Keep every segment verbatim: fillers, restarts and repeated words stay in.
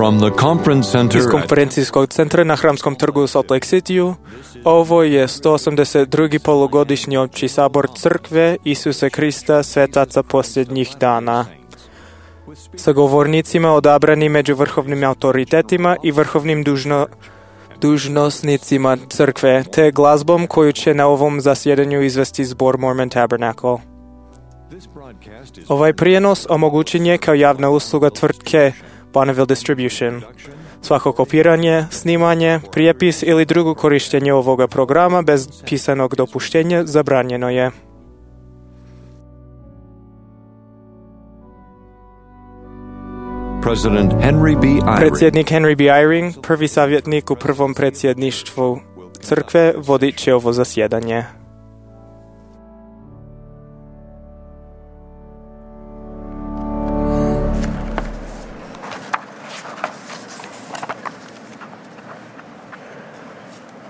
From the conference center Iz konferencijskog centra na Hramskom trgu u Salt Lake City-u, ovo je sto osamdeset drugi polugodišnji opći sabor Crkve Isuse Krista Svetaca posljednjih dana. Sa govornicima odabrani među vrhovnim autoritetima i vrhovnim dužno, dužnosnicima Crkve, te glazbom koju će na ovom zasjedanju izvesti zbor Mormon Tabernacle. Ovaj prijenos omogućen je kao javna usluga tvrtke Bonneville Distribution. Svako kopiranje, snimanje, prijepis ili drugo korištenje ovoga programa bez pisanog dopuštenja zabranjeno je. President Henry B. Eyring. Predsjednik Henry B. Eyring, prvi savjetnik u prvom predsjedništvu Crkve, vodit će ovo zasjedanje.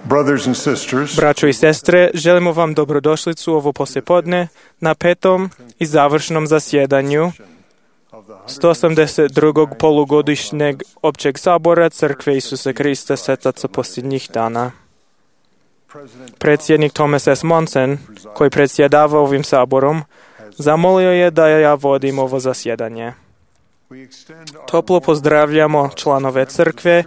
Brothers and sisters, Braćo i sestre, želimo vam dobrodošlicu ovo poslijepodne na petom i završnom zasjedanju sto osamdeset drugog polugodišnjeg općeg sabora Crkve Isusa Krista Svetaca posljednjih dana. Predsjednik Thomas S. Monson, koji predsjedava ovim saborom, zamolio je da ja vodim ovo zasjedanje. Toplo pozdravljamo članove Crkve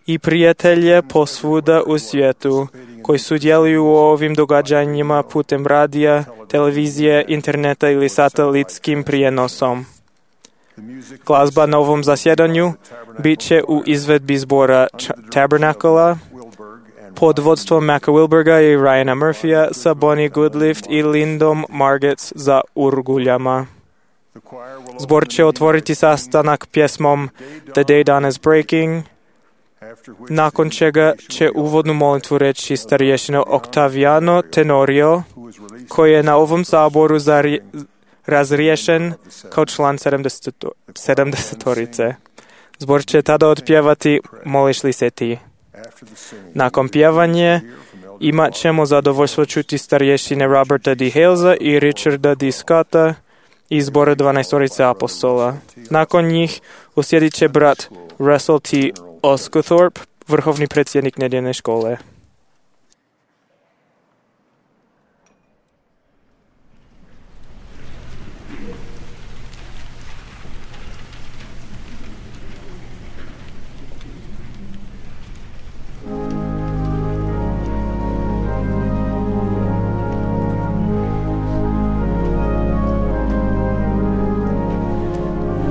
i prijatelje posvuda u svijetu koji sudjeluju u ovim događanjima putem radija, televizije, interneta ili satelitskim prijenosom. Glazba na ovom zasjedanju bit će u izvedbi zbora Tabernacle pod vodstvom Macka Wilberga i Ryana Murphya sa Bonnie Goodlift i Lindom Margetts za urguljama. Zbor će otvoriti sastanak pjesmom The Day Dawn is Breaking, nakon čega će uvodnu molitvu reći starješina Octaviano Tenorio, koji je na ovom saboru zari- razriješen kao član sedamdesetorice. Zbor će tada otpjevati Moliš li se ti. Nakon pjevanje imat ćemo zadovoljstvo čuti starješine Roberta D. Halesa i Richarda D. Scotta iz zbora dvanaestorice apostola. Nakon njih usjedit će brat Russell T. Osgothorpe, vrhovni predsjednik nedjeljne škole.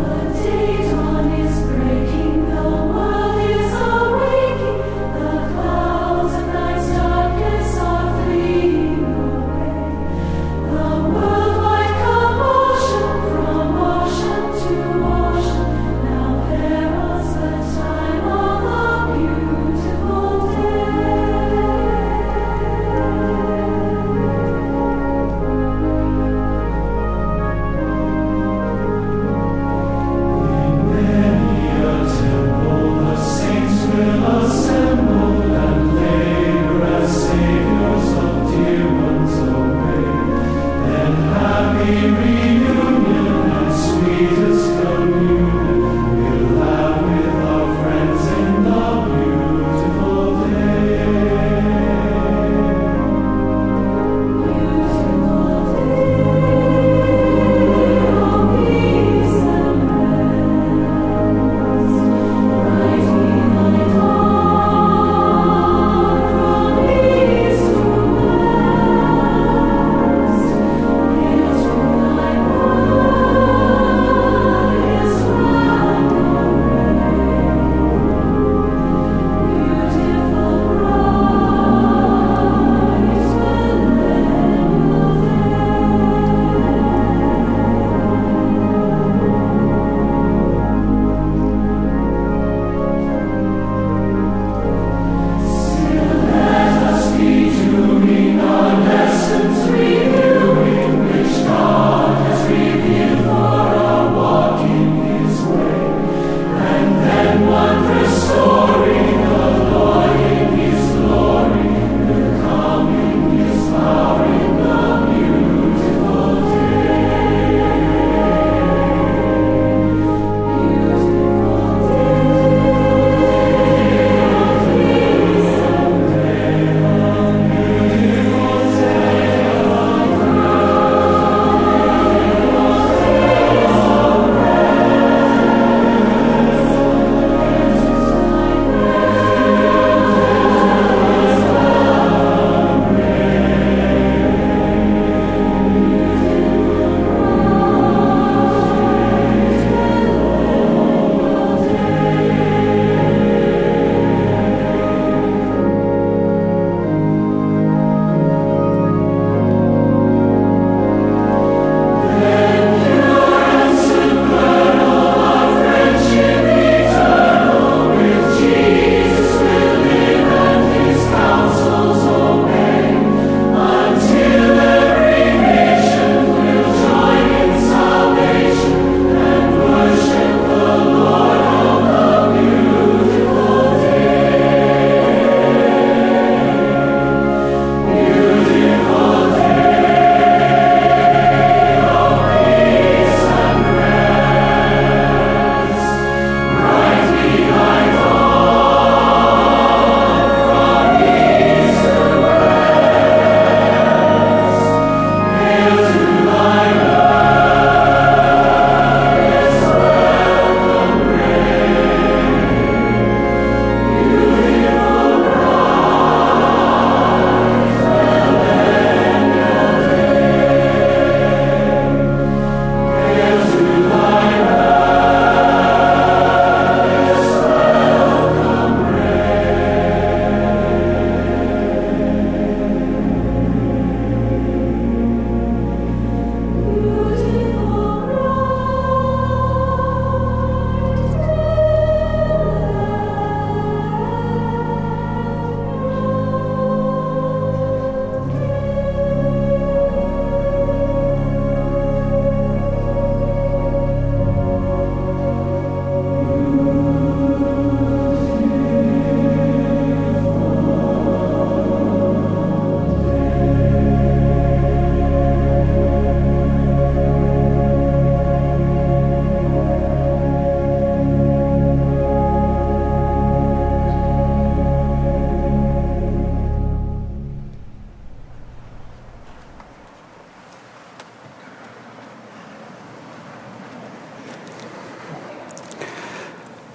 The day dawn is breaking, the world is awaking, the clouds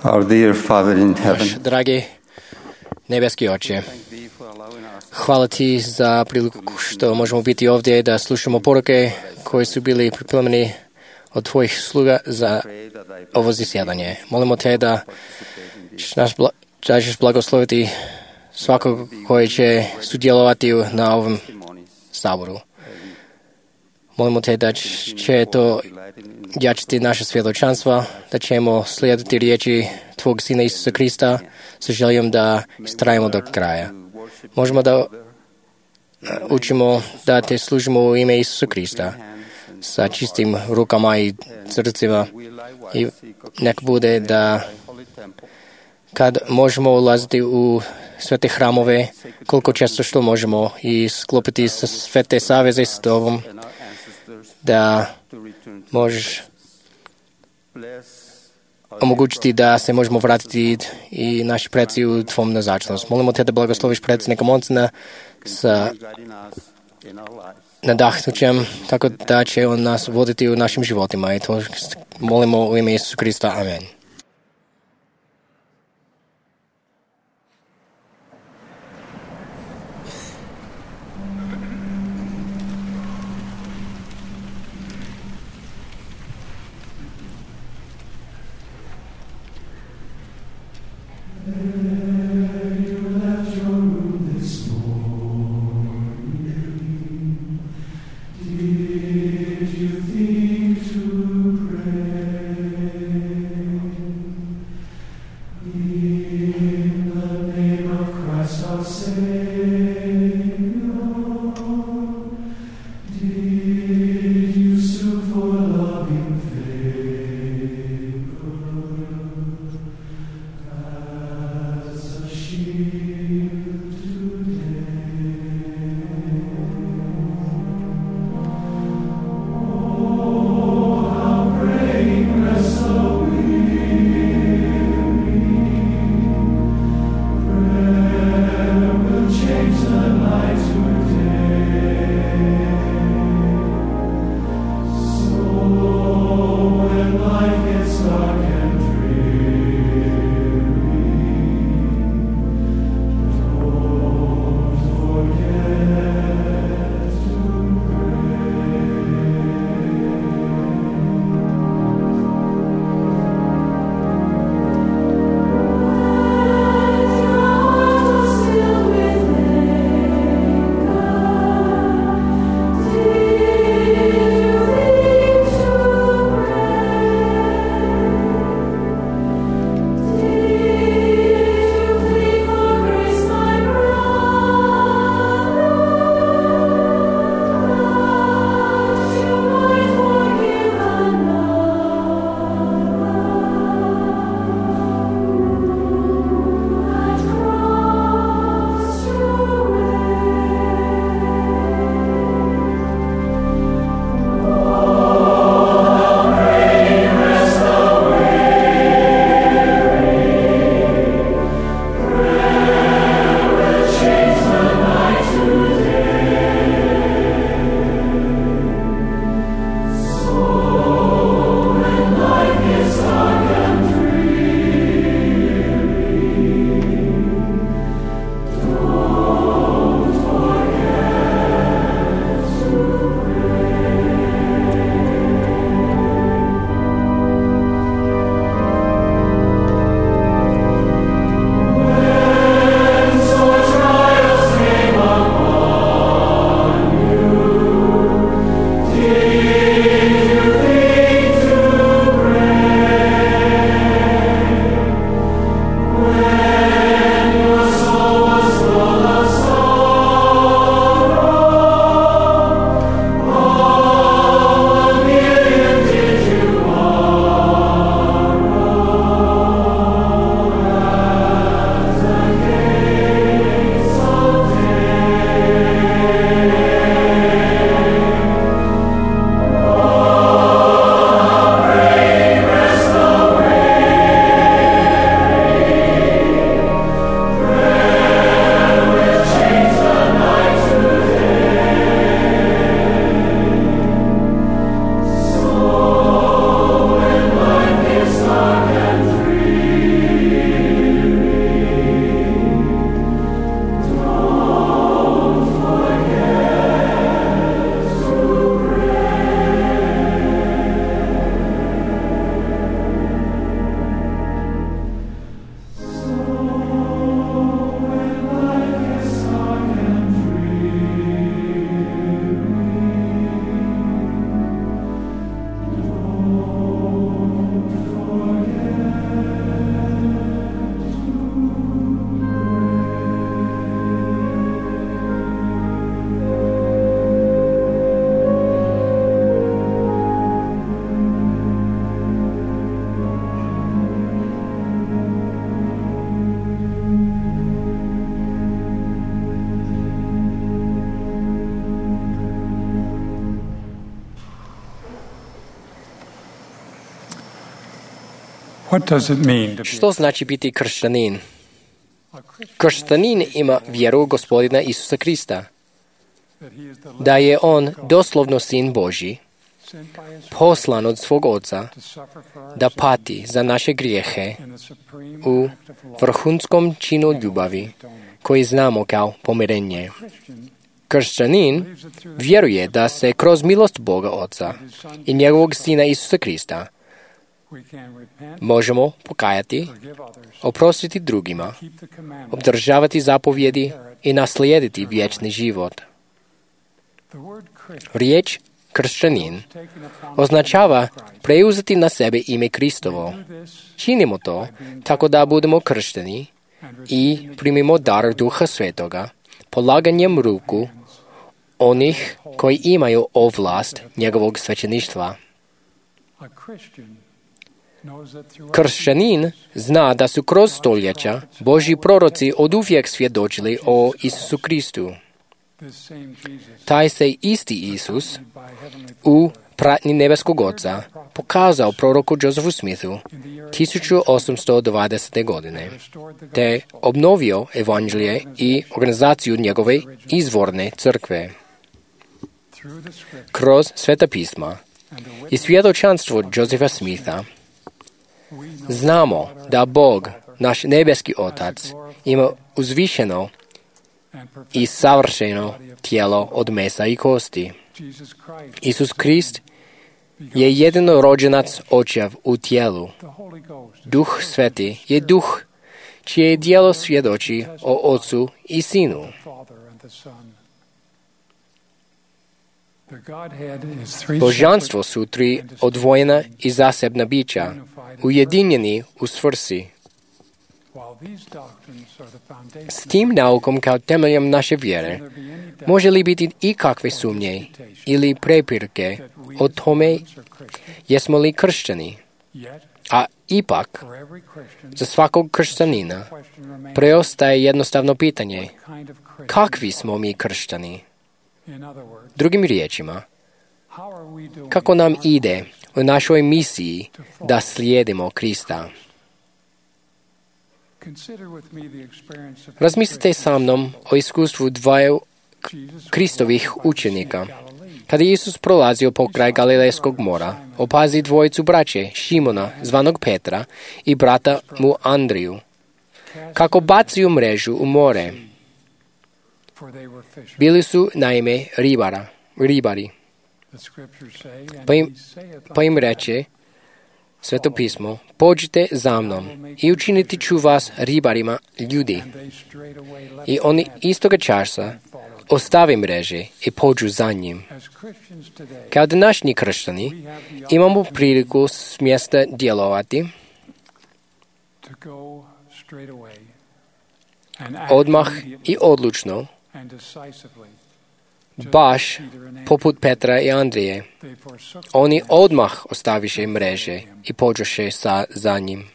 Our dear Father in Naš heaven, dragi nebeski Oče, hvala Ti za priliku što možemo biti ovdje da slušamo poruke koje su bili pripremljeni od Tvojih sluga za ovo zasjedanje. Molimo Te da nas bla, ćeš blagosloviti svakog koji će sudjelovati na ovom saboru. Molimo Te da će to jačiti naše svjedočanstva, da ćemo slijediti riječi Tvog Sina Isusa Krista sa željom da istrajemo do kraja. Možemo da učimo da Te služimo u ime Isusa Krista sa čistim rukama i srcima i nek bude da kad možemo ulaziti u sve te hramove, koliko često što možemo i sklopiti sve te saveze s Tobom, da možeš omogućiti da se možemo vratiti i naši preci u Tvom nazočnost. Molimo Te da blagosloviš predsjednika Monsona sa nadahnućem, tako da će on nas voditi u našim životima. I to molimo u ime Isusa Krista. Amen. What does it mean to be Što znači biti kršćanin? Kršćanin ima vjeru u Gospodina Isusa Krista, da je On doslovno Sin Božji, poslan od svog Oca, da pati za naše grijehe u vrhunskom činu ljubavi, koji znamo kao pomirenje. Kršćanin vjeruje da se kroz milost Boga Oca i njegovog Sina Isusa Krista možemo pokajati, oprostiti drugima, obdržavati zapovjedi i naslijediti vječni život. Riječ kršćanin označava preuzeti na sebe ime Kristovo. Činimo to tako da budemo kršteni i primimo dar Duha Svetoga polaganjem ruku onih koji imaju ovlast njegovog svećeništva. Kršćanin zna da su kroz stoljeća Božji proroci oduvijek svjedočili o Isusu Kristu. Taj se isti Isus u pratnji nebeskog Oca pokazao proroku Josephu Smithu tisuću osamsto dvadesete. godine, te obnovio evanđelje i organizaciju njegove izvorne crkve. Kroz Sveta pisma i svjedočanstvo Josepha Smitha znamo da Bog, naš nebeski Otac, ima uzvišeno i savršeno tijelo od mesa i kosti. Isus Krist je jedino rođenac Očev u tijelu. Duh Sveti je duh čije djelo svjedoči o Ocu i Sinu. Božanstvo su tri odvojena i zasebna bića, ujedinjeni u svrsi. S tim naukom kao temeljem naše vjere može li biti i kakve sumnje ili prepirke o tome jesmo li kršćani? A ipak, za svakog kršćanina preostaje jednostavno pitanje: kakvi smo mi kršćani? Drugim riječima, kako nam ide u našoj misiji da slijedimo Krista? Razmislite sa mnom o iskustvu dvaju Kristovih učenika. Kada je Isus prolazio pokraj Galilejskog mora, opazi dvojicu braće, Šimona, zvanog Petra, i brata mu Andriju, kako bacaju mrežu u more. Bili su naime ribara, ribari. Pa im, pa im reče Sveto pismo: pođite za mnom i učiniti ću vas ribarima ljudi. I oni istoga časa ostave mreže i pođu za njim. Kao današnji kršćani imamo priliku s mjesta djelovati odmah i odlučno, baš poput Petra i Andrije. Oni odmah ostaviše mreže i pođoše sa, za njim.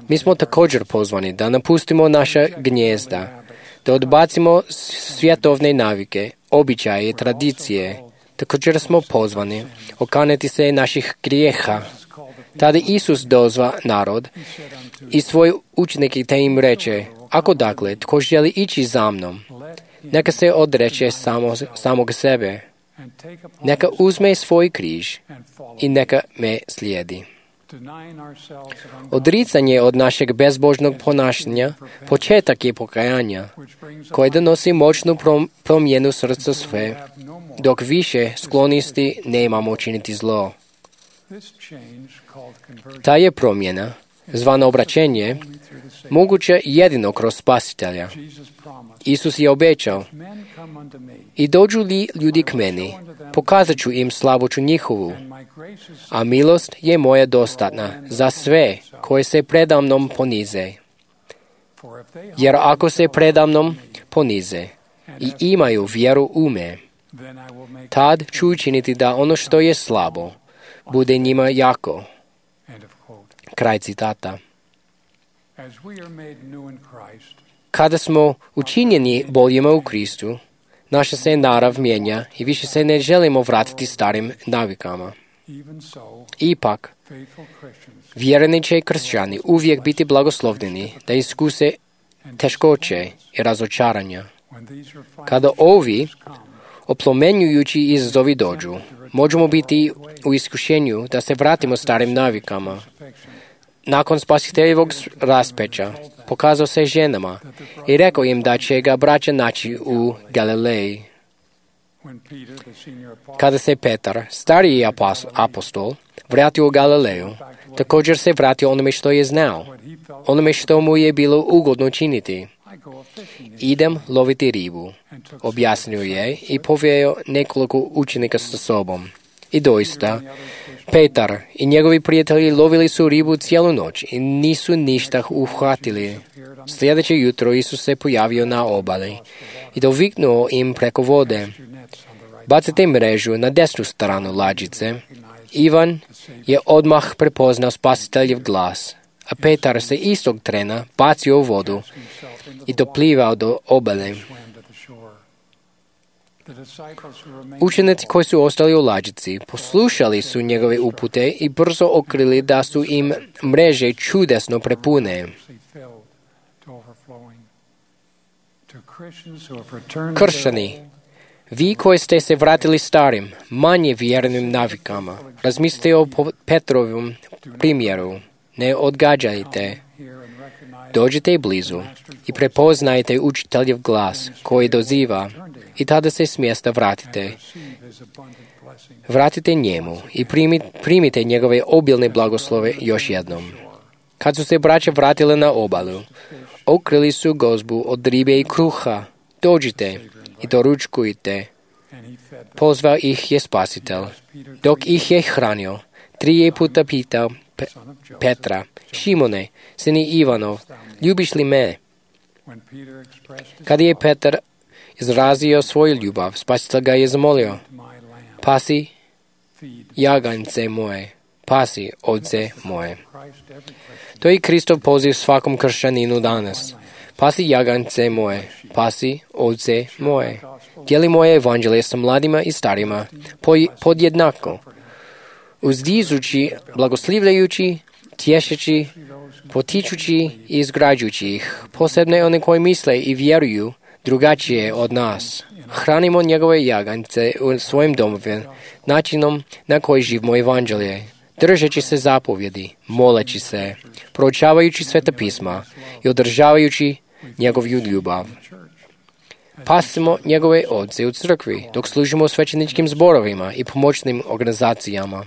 Mi smo također pozvani da napustimo naša gnjezda, da odbacimo svjetovne navike, običaje i tradicije. Također smo pozvani okaneti se naših grijeha. Tada Isus dozva narod i svoje učenike te im reče: ako dakle tko želi ići za mnom, neka se odreče samo, samog sebe, neka uzme svoj križ i neka me slijedi. Odricanje od našeg bezbožnog ponašanja početak je pokajanja, koje donosi moćnu promjenu srca sve, dok više sklonisti nemamo činiti zlo. Ta je promjena, zvana obraćenje, moguća jedino kroz Spasitelja. Isus je obećao: i dođu li ljudi k meni, pokazat ću im slaboću njihovu, a milost je moja dostatna za sve koji se predamnom ponize. Jer ako se predamnom ponize i imaju vjeru u me, tad ću učiniti da ono što je slabo bude njima jako. Kraj citata. Kada smo učinjeni boljima u Kristu, naša se narav mijenja i više se ne želimo vratiti starim navikama. Ipak, vjerni će kršćani uvijek biti blagoslovljeni da iskuse teškoće i razočaranja. Kada ovi oplomenjujući izazovi dođu, možemo biti u iskušenju da se vratimo starim navikama. Nakon spasiteljevog raspeća, pokazao se ženama i rekao im da će ga braća naći u Galileji. Kada se Petar, stariji apostol, vratio u Galileju, također se vratio onome što je znao, onome što mu je bilo ugodno činiti. Idem loviti ribu, objasnio je i poveo nekoliko učenika sa sobom. I doista, Petar i njegovi prijatelji lovili su ribu cijelu noć i nisu ništa uhvatili. Sljedeće jutro Isus se pojavio na obali i doviknuo im preko vode: bacite mrežu na desnu stranu lađice. Ivan je odmah prepoznao spasiteljev glas, a Petar se istog trena bacio u vodu i doplivao do obale. Učenici koji su ostali u lađici poslušali su njegove upute i brzo otkrili da su im mreže čudesno prepune. Kršćani, vi koji ste se vratili starim, manje vjernim navikama, razmislite o Petrovom primjeru. Ne odgađajte. Dođite blizu i prepoznajte učiteljev glas koji doziva i tada se s mjesta vratite. Vratite njemu i primite njegove obilne blagoslove još jednom. Kad su se braća vratili na obalu, otkrili su gozbu od ribe i kruha. Dođite i doručkujte. Pozvao ih je Spasitelj. Dok ih je hranio, tri puta pitao Pe- Petra: Šimone, sine Ivanov, ljubiš li me? Kad je Petar izrazio svoju ljubav, Spasitelj ga je zamolio: pasi jaganjce moje, pasi ovce moje. To je Kristov poziv svakom kršćaninu danas. Pasi jaganjce moje, pasi ovce moje. Dijeli moje evanđelje sa mladima i starima podjednako, uzdižući, blagoslivljajući, tješeći, potičući i izgrađujući ih, posebno one koji misle i vjeruju drugačije od nas. Hranimo njegove jaganjce u svojim domovima, načinom na koji živimo evanđelje, držeći se zapovjedi, moleći se, proučavajući sveta pisma i održavajući njegovu ljubav. Pasimo njegove ovce u crkvi, dok služimo u svećeničkim zborovima i pomoćnim organizacijama.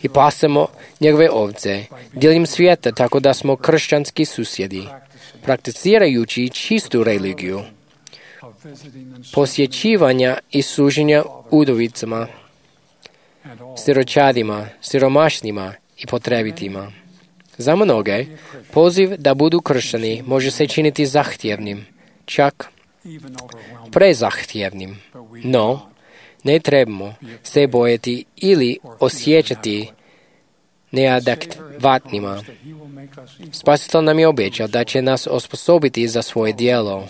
I pasemo njegove ovce diljem svijeta tako da smo kršćanski susjedi, prakticirajući čistu religiju, posjećivanja i služenja udovicama, siročadima, siromašnima i potrebitima. Za mnoge, poziv da budu kršćani može se činiti zahtjevnim, čak prezahtjevnim. No, ne trebamo se bojati ili osjećati neadekvatnima. Spasitelj nam je obećao da će nas osposobiti za svoje djelo.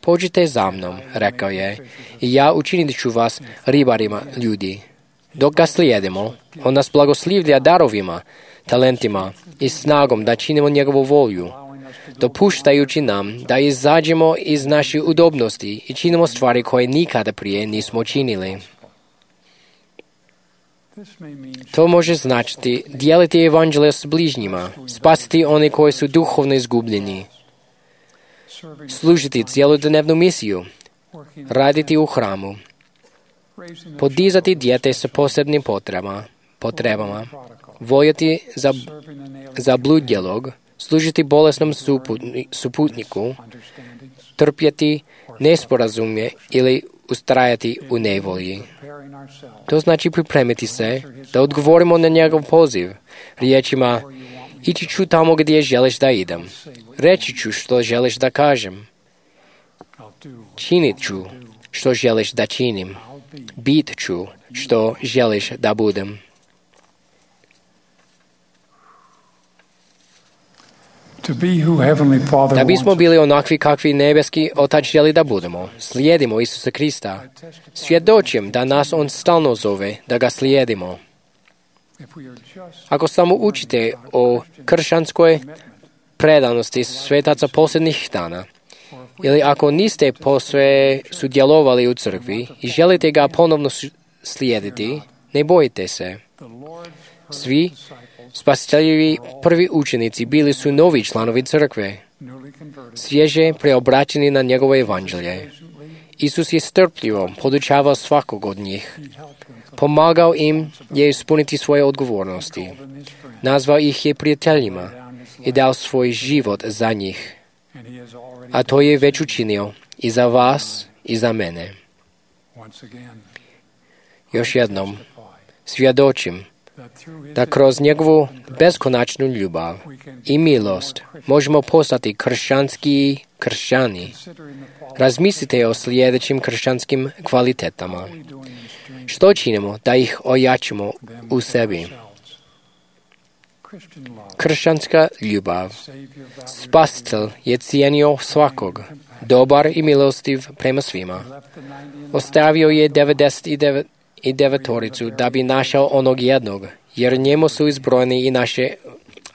Pođite za mnom, rekao je, i ja učinit ću vas ribarima ljudi. Dok ga slijedimo, on nas blagoslivlja darovima, talentima i snagom da činimo njegovu volju, dopuštajući nam da izađemo iz naše udobnosti i činimo stvari koje nikada prije nismo činili. To može značiti dijeliti evanđelje s bližnjima, spasiti one koji su duhovno izgubljeni, služiti cjelodnevnu misiju, raditi u hramu, podizati dijete sa posebnim potrebama, potrebama voljeti za, za bludjelog, služiti bolesnom suputni, suputniku, trpjeti nesporazumje ili ustrajati u nevolji. To znači pripremiti se da odgovorimo na njegov poziv riječima: ići ću tamo gdje želiš da idem, reći ću što želiš da kažem, činit ću što želiš da činim, bit ću što želiš da budem. Da bismo bili onakvi kakvi nebeski Otac želi da budemo, slijedimo Isusa Krista. Svjedočim da nas On stalno zove da ga slijedimo. Ako samo učite o kršćanskoj predanosti svetaca posljednjih dana, ili ako niste posve sudjelovali u crkvi i želite ga ponovno slijediti, ne bojite se. Svi spasiteljevi prvi učenici bili su novi članovi crkve, svježe preobraćeni na njegovo evanđelje. Isus je strpljivo podučavao svakog od njih. Pomagao im je ispuniti svoje odgovornosti. Nazvao ih je prijateljima i dao svoj život za njih. A to je već učinio i za vas i za mene. Još jednom svjedočim da kroz njegovu beskonačnu ljubav i milost možemo postati kršćanski kršćani. Razmislite o sljedećim kršćanskim kvalitetama. Što činimo da ih ojačimo u sebi? Kršćanska ljubav. Spasitelj je cijenio svakog, dobar i milostiv prema svima. Ostavio je devedeset devet i devetoricu da bi našao onog jednog, jer njemu su izbrojeni i naše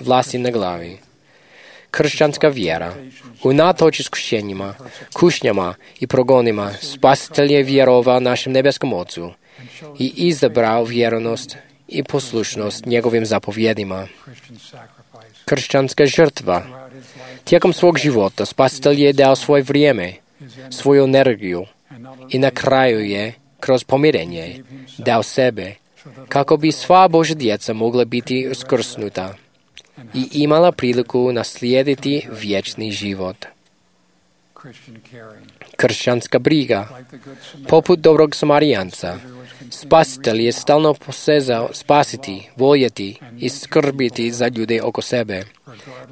vlasti na glavi. Kršćanska vjera. Unatoč iskušenjima, kušnjama i progonima, Spasitelj je vjerovao našem nebeskom Ocu i izabrao vjernost i poslušnost njegovim zapovjedima. Kršćanska žrtva. Tijekom svog života Spasitelj je dao svoje vrijeme, svoju energiju i na kraju je, kroz pomirenje, dao sebe, kako bi sva Božja djeca mogla biti uskrsnuta i imala priliku naslijediti vječni život. Kršćanska briga. Poput dobrog Samarijanca, Spasitelj je stalno posezao spasiti, voljeti i skrbiti za ljude oko sebe,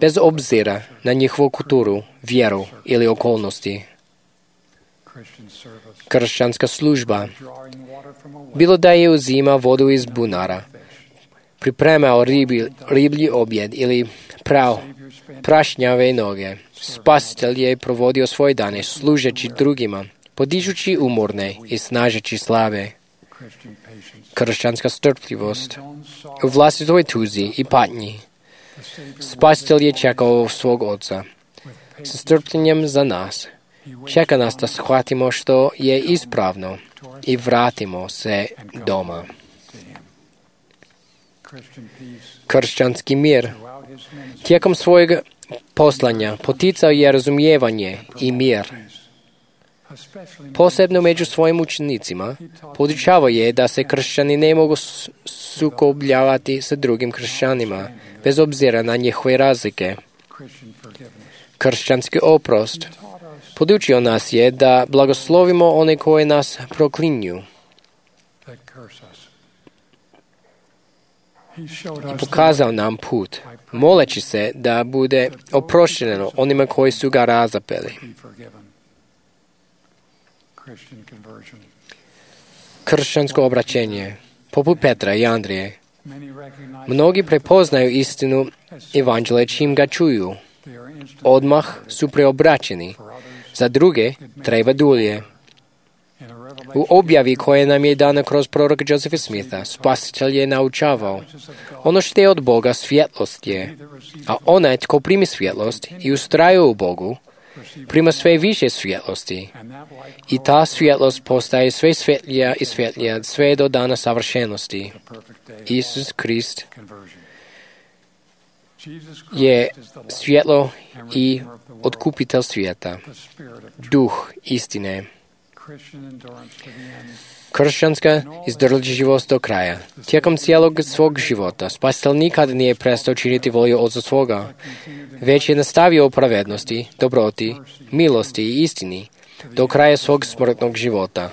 bez obzira na njihovu kulturu, vjeru ili okolnosti. Kršćanska služba. Bilo da je uzima vodu iz bunara, pripremao ribi, riblji objed ili prao prašnjave noge, Spasitelj je provodio svoje dane služeći drugima, podižući umorne i snažeći slabe. Kršćanska strpljivost. U vlastitoj tuzi i patnji Spasitelj je čekao svog Oca sa strpljenjem za nas. Čeka nas da shvatimo što je ispravno i vratimo se doma. Kršćanski mir. Tijekom svojeg poslanja poticao je razumijevanje i mir. Posebno među svojim učenicima podučavao je da se kršćani ne mogu sukobljavati sa drugim kršćanima, bez obzira na njihove razlike. Kršćanski oprost. Podučio nas je da blagoslovimo one koje nas proklinju. I pokazao nam put, moleći se da bude oprošteno onima koji su ga razapeli. Kršćansko obraćenje. Poput Petra i Andrije, mnogi prepoznaju istinu evanđelja čim ga čuju. Odmah su preobraćeni. Za druge treba dulje. U objavi koje nam je dana kroz proroka Josepha Smitha, Spasitelj je naučavao. Ono što je od Boga svjetlost je, a onaj tko primi svjetlost i ustraje u Bogu, prima sve više svjetlosti. I ta svjetlost postaje sve svjetlija i svjetlija sve do dana savršenosti. Isus Krist je svjetlo i otkupitelj svijeta, duh istine. Kršćanska izdržljivost do kraja. Tijekom cijelog svog života Spasitelj nikad nije prestao činiti volju Oca svoga, već je nastavio u pravednosti, dobroti, milosti i istini do kraja svog smrtnog života.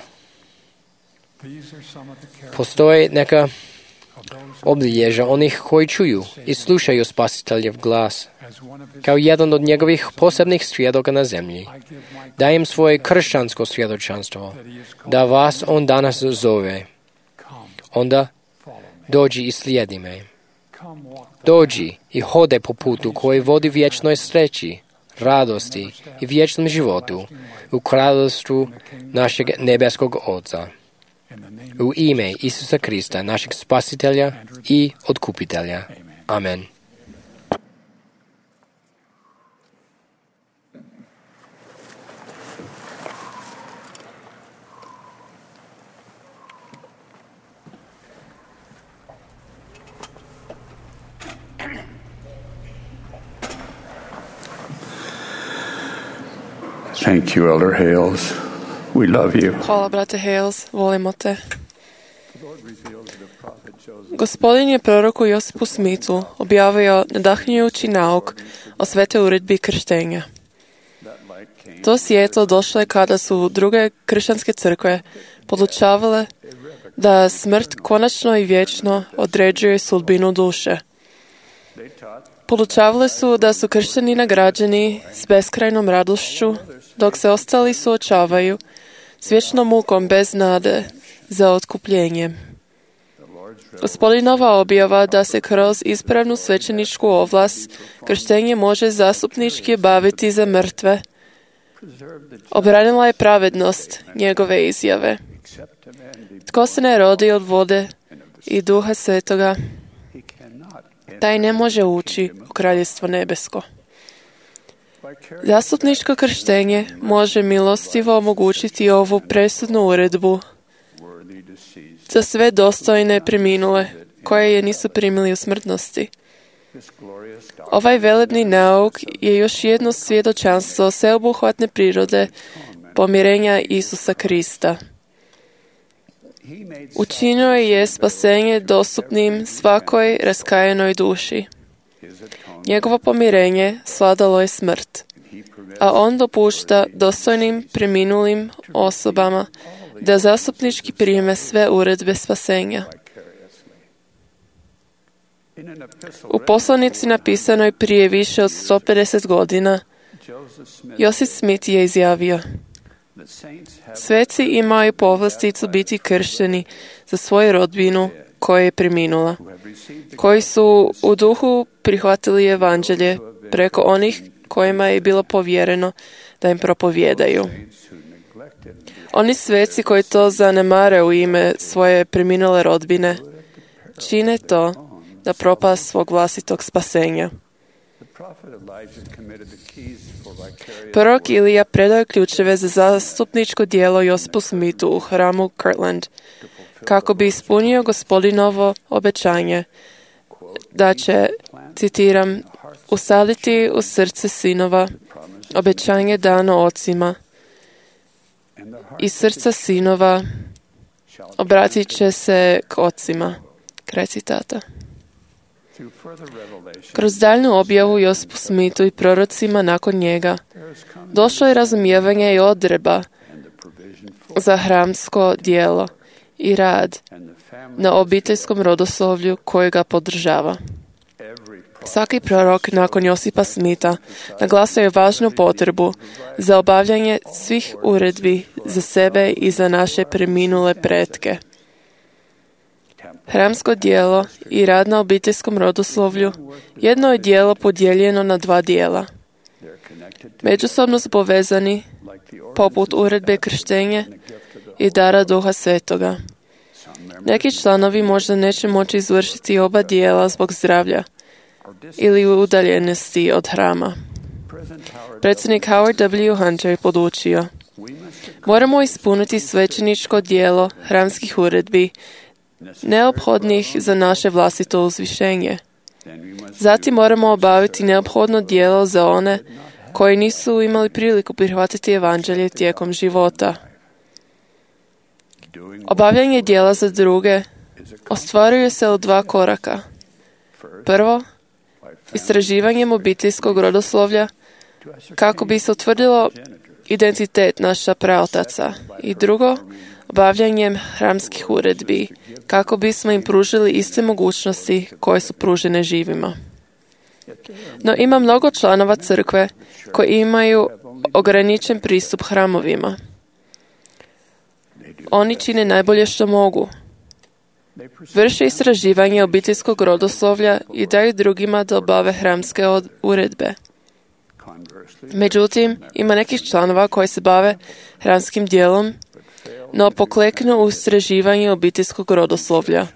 Postoje neka obilježja onih koji čuju i slušaju Spasiteljev glas. Kao jedan od njegovih posebnih svjedoka na zemlji, dajem svoje kršćansko svjedočanstvo, da vas on danas zove. Onda dođi i slijedi me. Dođi i hode po putu koji vodi vječnoj sreći, radosti i vječnom životu u kraljevstvu našeg nebeskog Oca. U ime Isusa Krista, našeg spasitelja i otkupitelja. Amen. Thank you, Elder Hales. We love you. Hvala, brate Hales, volimo te. Gospodin je proroku Josipu Smithu objavio nadahnjujući nauk o svete uredbi krštenja. To svjetlo došlo je kada su druge kršćanske crkve podučavale da smrt konačno i vječno određuje sudbinu duše. Podučavale su da su kršćani nagrađeni s beskrajnom radošću, dok se ostali suočavaju s vječnom mukom bez nade za otkupljenje. Gospodinova objava da se kroz ispravnu svećeničku ovlast krštenje može zastupnički baviti za mrtve obranila je pravednost njegove izjave. Tko se ne rodi od vode i Duha Svetoga, taj ne može ući u Kraljevstvo nebesko. Zastupničko krštenje može milostivo omogućiti ovu presudnu uredbu za sve dostojne preminule koje je nisu primili u smrtnosti. Ovaj velebni nauk je još jedno svjedočanstvo sveobuhvatne prirode pomirenja Isusa Krista. Učinio je spasenje dostupnim svakoj raskajanoj duši. Njegovo pomirenje svladalo je smrt, a on dopušta dostojnim preminulim osobama da zastupnički prime sve uredbe spasenja. U poslanici napisanoj prije više od sto pedeset godina, Josip Smith je izjavio: sveci imaju povlasticu biti kršteni za svoju rodbinu koja je preminula, koji su u duhu prihvatili evanđelje preko onih kojima je bilo povjereno da im propovjedaju. Oni sveci koji to zanemare u ime svoje preminule rodbine, čine to da propast svog vlastitog spasenja. Prorok Ilija predao ključeve za zastupničko djelo Josipu Smithu u hramu Kirtland, kako bi ispunio Gospodinovo obećanje da će, citiram, usaditi u srce sinova obećanje dano ocima i srca sinova obratit će se k ocima. Kraj citata. Kroz daljnju objavu Josipu Smithu i prorocima nakon njega došlo je razumijevanje i odredba za hramsko djelo i rad na obiteljskom rodoslovlju koje ga podržava. Svaki prorok nakon Josipa Smitha naglasio je važnu potrebu za obavljanje svih uredbi za sebe i za naše preminule pretke. Hramsko djelo i rad na obiteljskom rodoslovlju jedno je djelo podijeljeno na dva dijela. Međusobno su povezani poput uredbe krštenja i dara Duha Svetoga. Neki članovi možda neće moći izvršiti oba dijela zbog zdravlja ili udaljenosti od hrama. Predsjednik Howard W. Hunter je podučio: moramo ispuniti svećeničko djelo hramskih uredbi neophodnih za naše vlastito uzvišenje. Zatim moramo obaviti neophodno djelo za one koji nisu imali priliku prihvatiti evanđelje tijekom života. Obavljanje djela za druge ostvaruje se u dva koraka. Prvo, istraživanjem obiteljskog rodoslovlja kako bi se utvrdilo identitet naša praotaca, i drugo, obavljanjem hramskih uredbi kako bismo im pružili iste mogućnosti koje su pružene živima. No ima mnogo članova crkve koji imaju ograničen pristup hramovima. Oni čine najbolje što mogu. Vrše istraživanje obiteljskog rodoslovlja i daju drugima da obave hramske uredbe. Međutim, ima nekih članova koji se bave hramskim djelom, no pokleknu u istraživanju obiteljskog rodoslovlja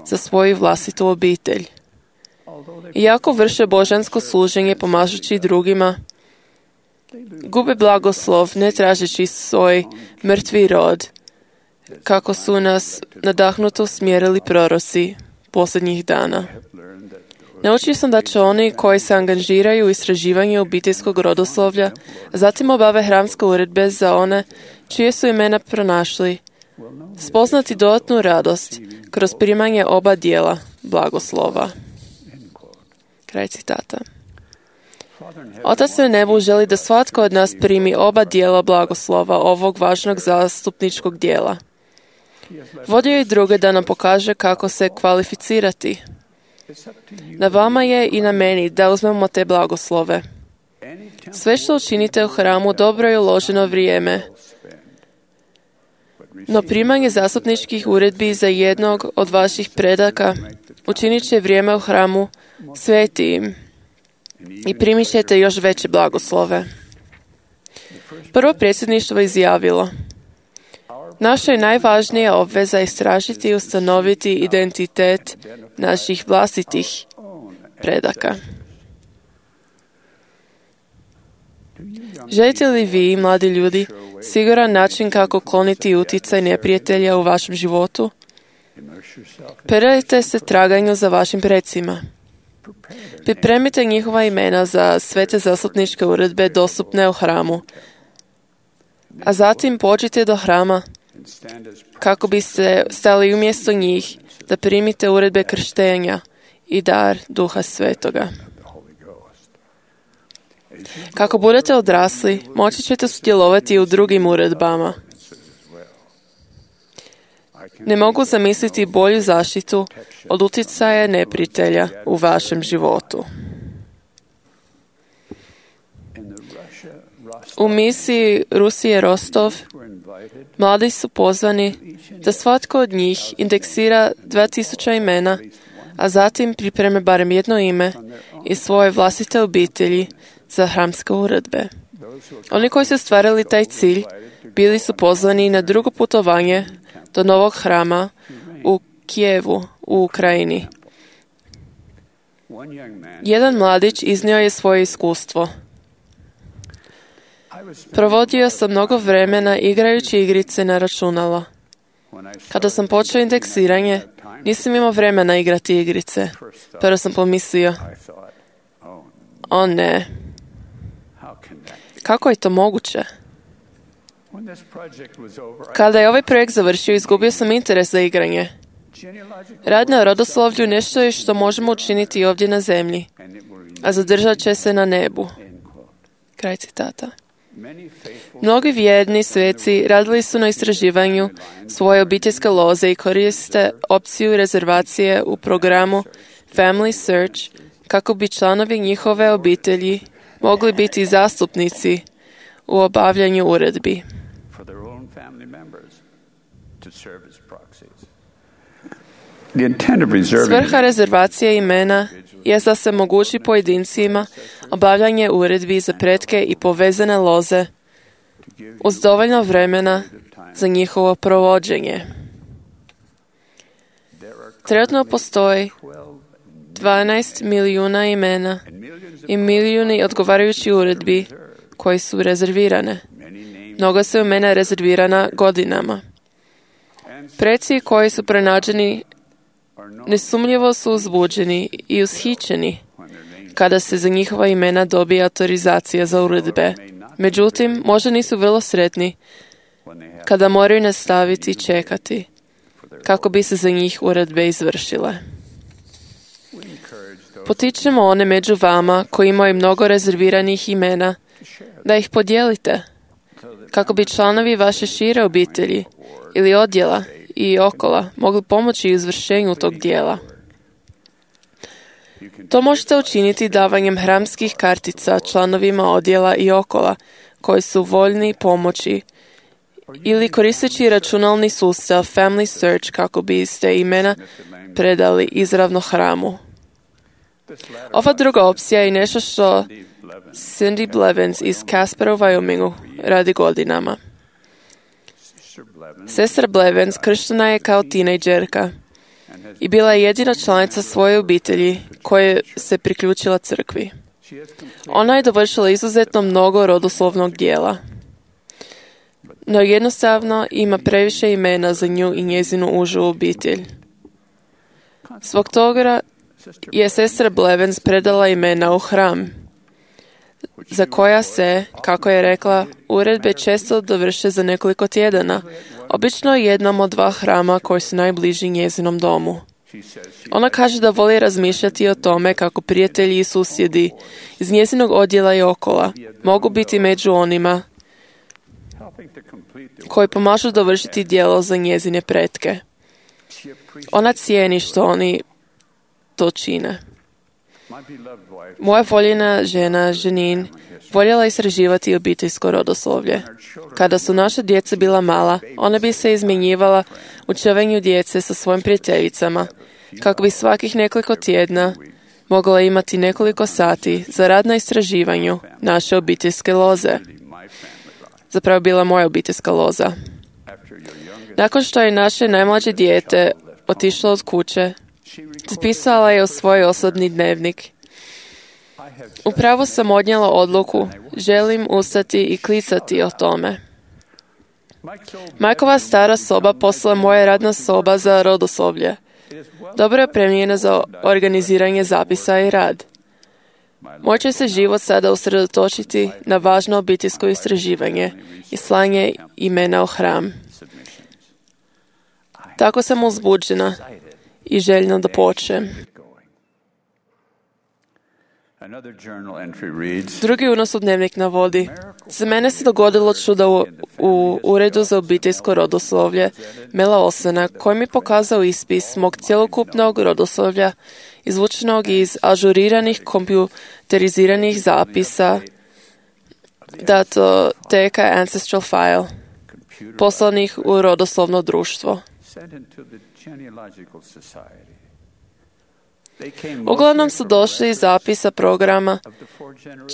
za svoju vlastitu obitelj. Iako vrše božansko služenje pomažući drugima, gube blagoslov ne tražeći svoj mrtvi rod, kako su nas nadahnuto usmjerili proroci posljednjih dana. Naučio sam da će oni koji se angažiraju u istraživanju obiteljskog rodoslovlja, zatim obave hramske uredbe za one čije su imena pronašli, spoznati dodatnu radost kroz primanje oba dijela blagoslova. Kraj citata. Otac na nebu želi da svatko od nas primi oba dijela blagoslova ovog važnog zastupničkog dijela. Vodio i druge da nam pokaže kako se kvalificirati. Na vama je i na meni da uzmemo te blagoslove. Sve što učinite u hramu dobro je uloženo vrijeme, no primanje zastupničkih uredbi za jednog od vaših predaka učinit će vrijeme u hramu svetijim i primit ćete još veće blagoslove. Prvo predsjedništvo izjavilo: naša je najvažnija obveza istražiti i ustanoviti identitet naših vlastitih predaka. Želite li vi, mladi ljudi, siguran način kako kloniti utjecaj neprijatelja u vašem životu? Predajte se traganju za vašim predsima. Pripremite njihova imena za sve te zastupničke uredbe dostupne u hramu, a zatim pođite do hrama kako biste stali umjesto njih da primite uredbe krštenja i dar Duha Svetoga. Kako budete odrasli, moći ćete sudjelovati u drugim uredbama. Ne mogu zamisliti bolju zaštitu od utjecaja neprijatelja u vašem životu. U misiji Rusije Rostov mladi su pozvani da svatko od njih indeksira dva tisuća imena, a zatim pripreme barem jedno ime iz svoje vlastite obitelji za hramske uredbe. Oni koji su stvarali taj cilj bili su pozvani na drugo putovanje do novog hrama u Kijevu u Ukrajini. Jedan mladić iznio je svoje iskustvo. Provodio sam mnogo vremena igrajući igrice na računala. Kada sam počeo indeksiranje, nisam imao vremena igrati igrice. Prvo sam pomislio: o ne, kako je to moguće? Kada je ovaj projekt završio, izgubio sam interes za igranje. Rad na rodoslovlju nešto je što možemo učiniti ovdje na zemlji, a zadržat će se na nebu. Kraj citata. Mnogi vjerni sveci radili su na istraživanju svoje obiteljske loze i koriste opciju rezervacije u programu Family Search kako bi članovi njihove obitelji mogli biti zastupnici u obavljanju uredbi. Svrha rezervacije imena je da se omogući pojedincima obavljanje uredbi za pretke i povezane loze uz dovoljno vremena za njihovo provođenje. Trenutno postoji dvanaest milijuna imena i milijuni odgovarajući uredbi koji su rezervirane. Mnogo su imena rezervirana godinama. Preci koji su pronađeni nesumnjivo su uzbuđeni i ushićeni kada se za njihova imena dobije autorizacija za uredbe. Međutim, možda nisu vrlo sretni kada moraju nastaviti čekati kako bi se za njih uredbe izvršile. Potičemo one među vama koji imaju mnogo rezerviranih imena da ih podijelite kako bi članovi vaše šire obitelji ili odjela i okola mogli pomoći izvršenju tog dijela. To možete učiniti davanjem hramskih kartica članovima odjela i okola koji su voljni pomoći ili koristeći računalni sustav Family Search kako biste imena predali izravno hramu. Ova druga opcija je nešto što Cindy Blevins iz Caspera u Wyomingu radi godinama. Sestra Blevins krštena je kao tinejdžerka i bila je jedina članica svoje obitelji koja se priključila crkvi. Ona je dovršila izuzetno mnogo rodoslovnog dijela, no jednostavno ima previše imena za nju i njezinu užu obitelj. Zbog toga je sestra Blevins predala imena u hram, za koja se, kako je rekla, uredbe često dovrše za nekoliko tjedana, obično jednom od dva hrama koji su najbliži njezinom domu. Ona kaže da voli razmišljati o tome kako prijatelji i susjedi iz njezinog odjela i okola mogu biti među onima koji pomažu dovršiti djelo za njezine pretke. Ona cijeni što oni to čine. Moja voljena žena, Janine, voljela istraživati obiteljsko rodoslovlje. Kada su naša djeca bila mala, ona bi se izmjenjivala u čuvanju djece sa svojim prijateljicama, kako bi svakih nekoliko tjedna mogla imati nekoliko sati za rad na istraživanju naše obiteljske loze. Zapravo bila moja obiteljska loza. Nakon što je naše najmlađe dijete otišlo od kuće, zapisala je u svoj osobni dnevnik: upravo sam odnijela odluku, želim ustati i klicati o tome. Majkova stara soba postala moja radna soba za rodoslovlje. Dobro je opremljena za organiziranje zapisa i rad. Moj će se život sada usredotočiti na važno obiteljsko istraživanje i slanje imena u hram. Tako sam uzbuđena i željna da počnem. Drugi unos u dnevnik navodi: za mene se dogodilo čudo u, u Uredu za obiteljsko rodoslovlje Mela Olsena, koji mi pokazao ispis mog cjelokupnog rodoslovlja izvučenog iz ažuriranih kompjuteriziranih zapisa datoteka Ancestral File, poslanih u rodoslovno društvo. Uglavnom su došli iz zapisa programa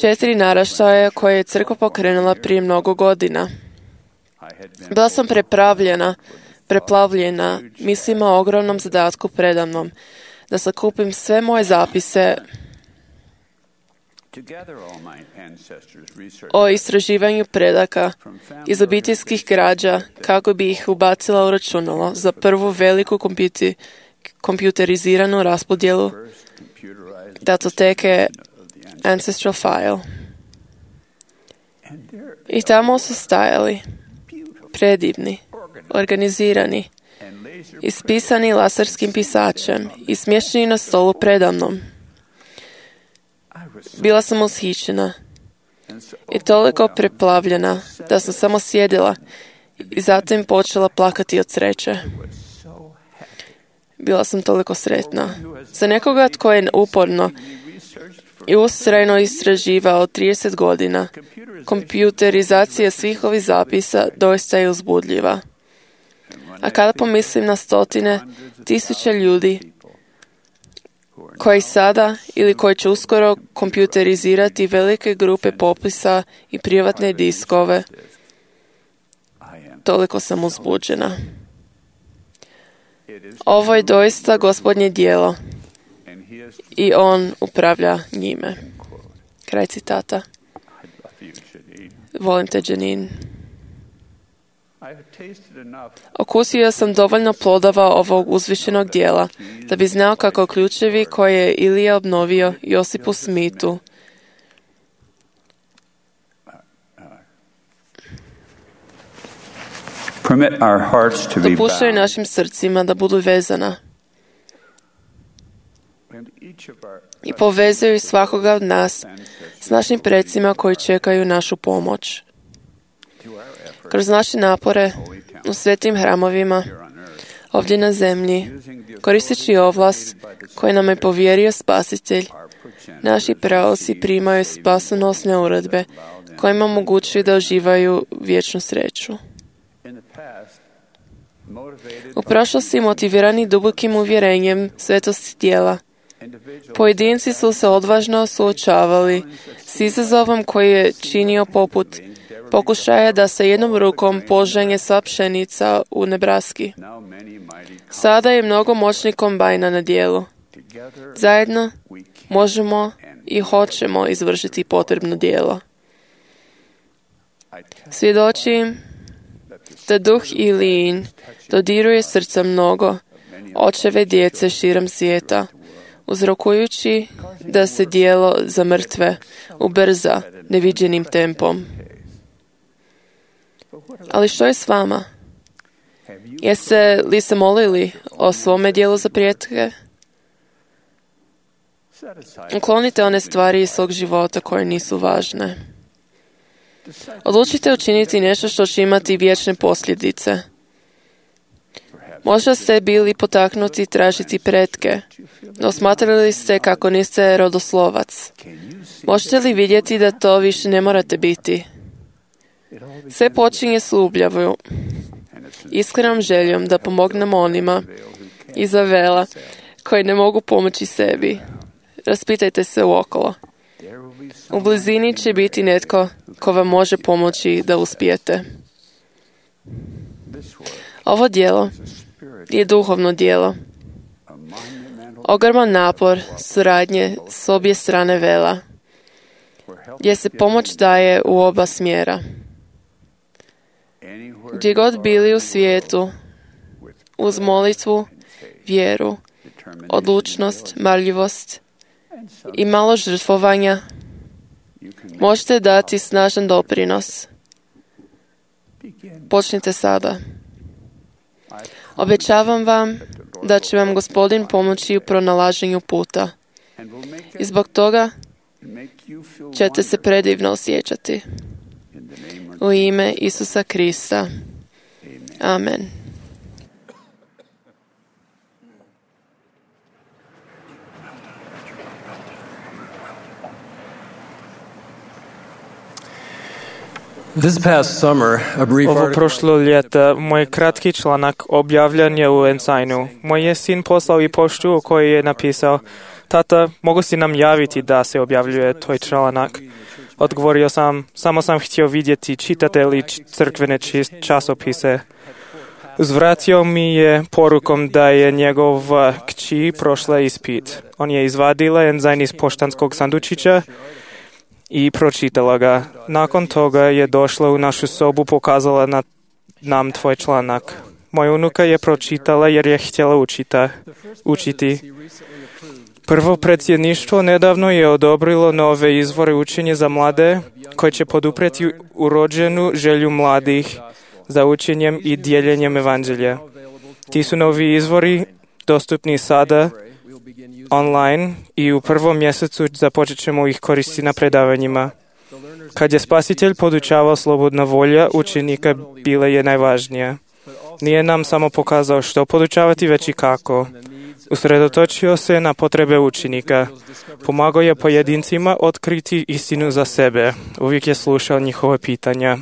četiri naraštaja koje je crkva pokrenula prije mnogo godina. Bila sam prepravljena, preplavljena mislima o ogromnom zadatku predamnom, da sakupim sve moje zapise o istraživanju predaka iz obiteljskih građa kako bi ih ubacila u računalo za prvu veliku kompjuti, kompjuteriziranu raspodjelu datoteke Ancestral File. I tamo su stajali, predivni, organizirani, ispisani laserskim pisačem i smješteni na stolu predamnom. Bila sam ushićena i toliko preplavljena da sam samo sjedila i zatim počela plakati od sreće. Bila sam toliko sretna. Za nekoga tko je uporno i ustrajno istraživao trideset godina, kompjuterizacija svih ovih zapisa doista je uzbudljiva. A kada pomislim na stotine, tisuće ljudi koji sada ili koji će uskoro kompjuterizirati velike grupe popisa i privatne diskove, toliko sam uzbuđena. Ovo je doista Gospodnje djelo i on upravlja njime. Kraj citata. Volim te, Janine. Okusio sam dovoljno plodova ovog uzvišenog djela da bi znao kako ključevi koje je Ilija obnovio Josipu Smitu dopuštaju našim srcima da budu vezana i povezuju svakoga od nas s našim predsima koji čekaju našu pomoć. Kroz naše napore u svetim hramovima ovdje na zemlji, koristeći ovlast koju nam je povjerio Spasitelj, naši praoci primaju spasonosne uredbe kojima omogućuju da uživaju vječnu sreću. U prošlosti, motivirani dubokim uvjerenjem svetosti djela, pojedinci su se odvažno suočavali s izazovom koji je činio poput pokušaja da se jednom rukom požanje sva pšenica u Nebraski. Sada je mnogo moćnih kombajna na dijelu. Zajedno možemo i hoćemo izvršiti potrebno djelo. Svjedočim da duh Ilijin dodiruje srca mnogo očeve djece širom svijeta, uzrokujući da se djelo za mrtve ubrza neviđenim tempom. Ali što je s vama? Jeste li se molili o svome djelu za prijetke? Uklonite one stvari iz svog života koje nisu važne. Odlučite učiniti nešto što će imati vječne posljedice. Možda ste bili potaknuti tražiti pretke, no smatrali ste kako niste rodoslovac. Možete li vidjeti da to više ne morate biti? Sve počinje s ljubavi, iskrenom željom da pomognemo onima iza vela koji ne mogu pomoći sebi. Raspitajte se uokolo. U blizini će biti netko ko vam može pomoći da uspijete. Ovo djelo je duhovno djelo. Ogroman napor suradnje s obje strane vela, gdje se pomoć daje u oba smjera. Gdje god bili u svijetu, uz molitvu, vjeru, odlučnost, marljivost i malo žrtvovanja, možete dati snažan doprinos. Počnite sada. Obećavam vam da će vam Gospodin pomoći u pronalaženju puta. I zbog toga ćete se predivno osjećati. U ime Isusa Krista. Amen. This past summer, a brief Ovo article prošlo ljeta, moj kratki članak objavljen je u Ensignu. Moj je sin poslao i poštu u kojoj je napisao: Tata, mogu si nam javiti da se objavljuje tvoj članak? Odgovorio sam: samo sam htio vidjeti čitate li crkvene časopise. Uzvratio mi je porukom da je njegova kći prošla ispit. On je izvadila Ensign iz poštanskog sandučića i pročitala ga. Nakon toga je došla u našu sobu, pokazala na, nam tvoj članak. Moja unuka je pročitala jer je htjela učita, učiti. Prvo predsjedništvo nedavno je odobrilo nove izvore učenja za mlade koje će poduprijeti urođenu želju mladih za učenjem i dijeljenjem evanđelja. Ti su novi izvori dostupni sada online i u prvom mjesecu započet ćemo ih koristiti na predavanjima. Kad je Spasitelj podučavao, slobodna volja učenika bila je najvažnija. Nije nam samo pokazao što podučavati, već i kako. Usredotočio se na potrebe učenika. Pomagao je pojedincima otkriti istinu za sebe. Uvijek je slušao njihova pitanja.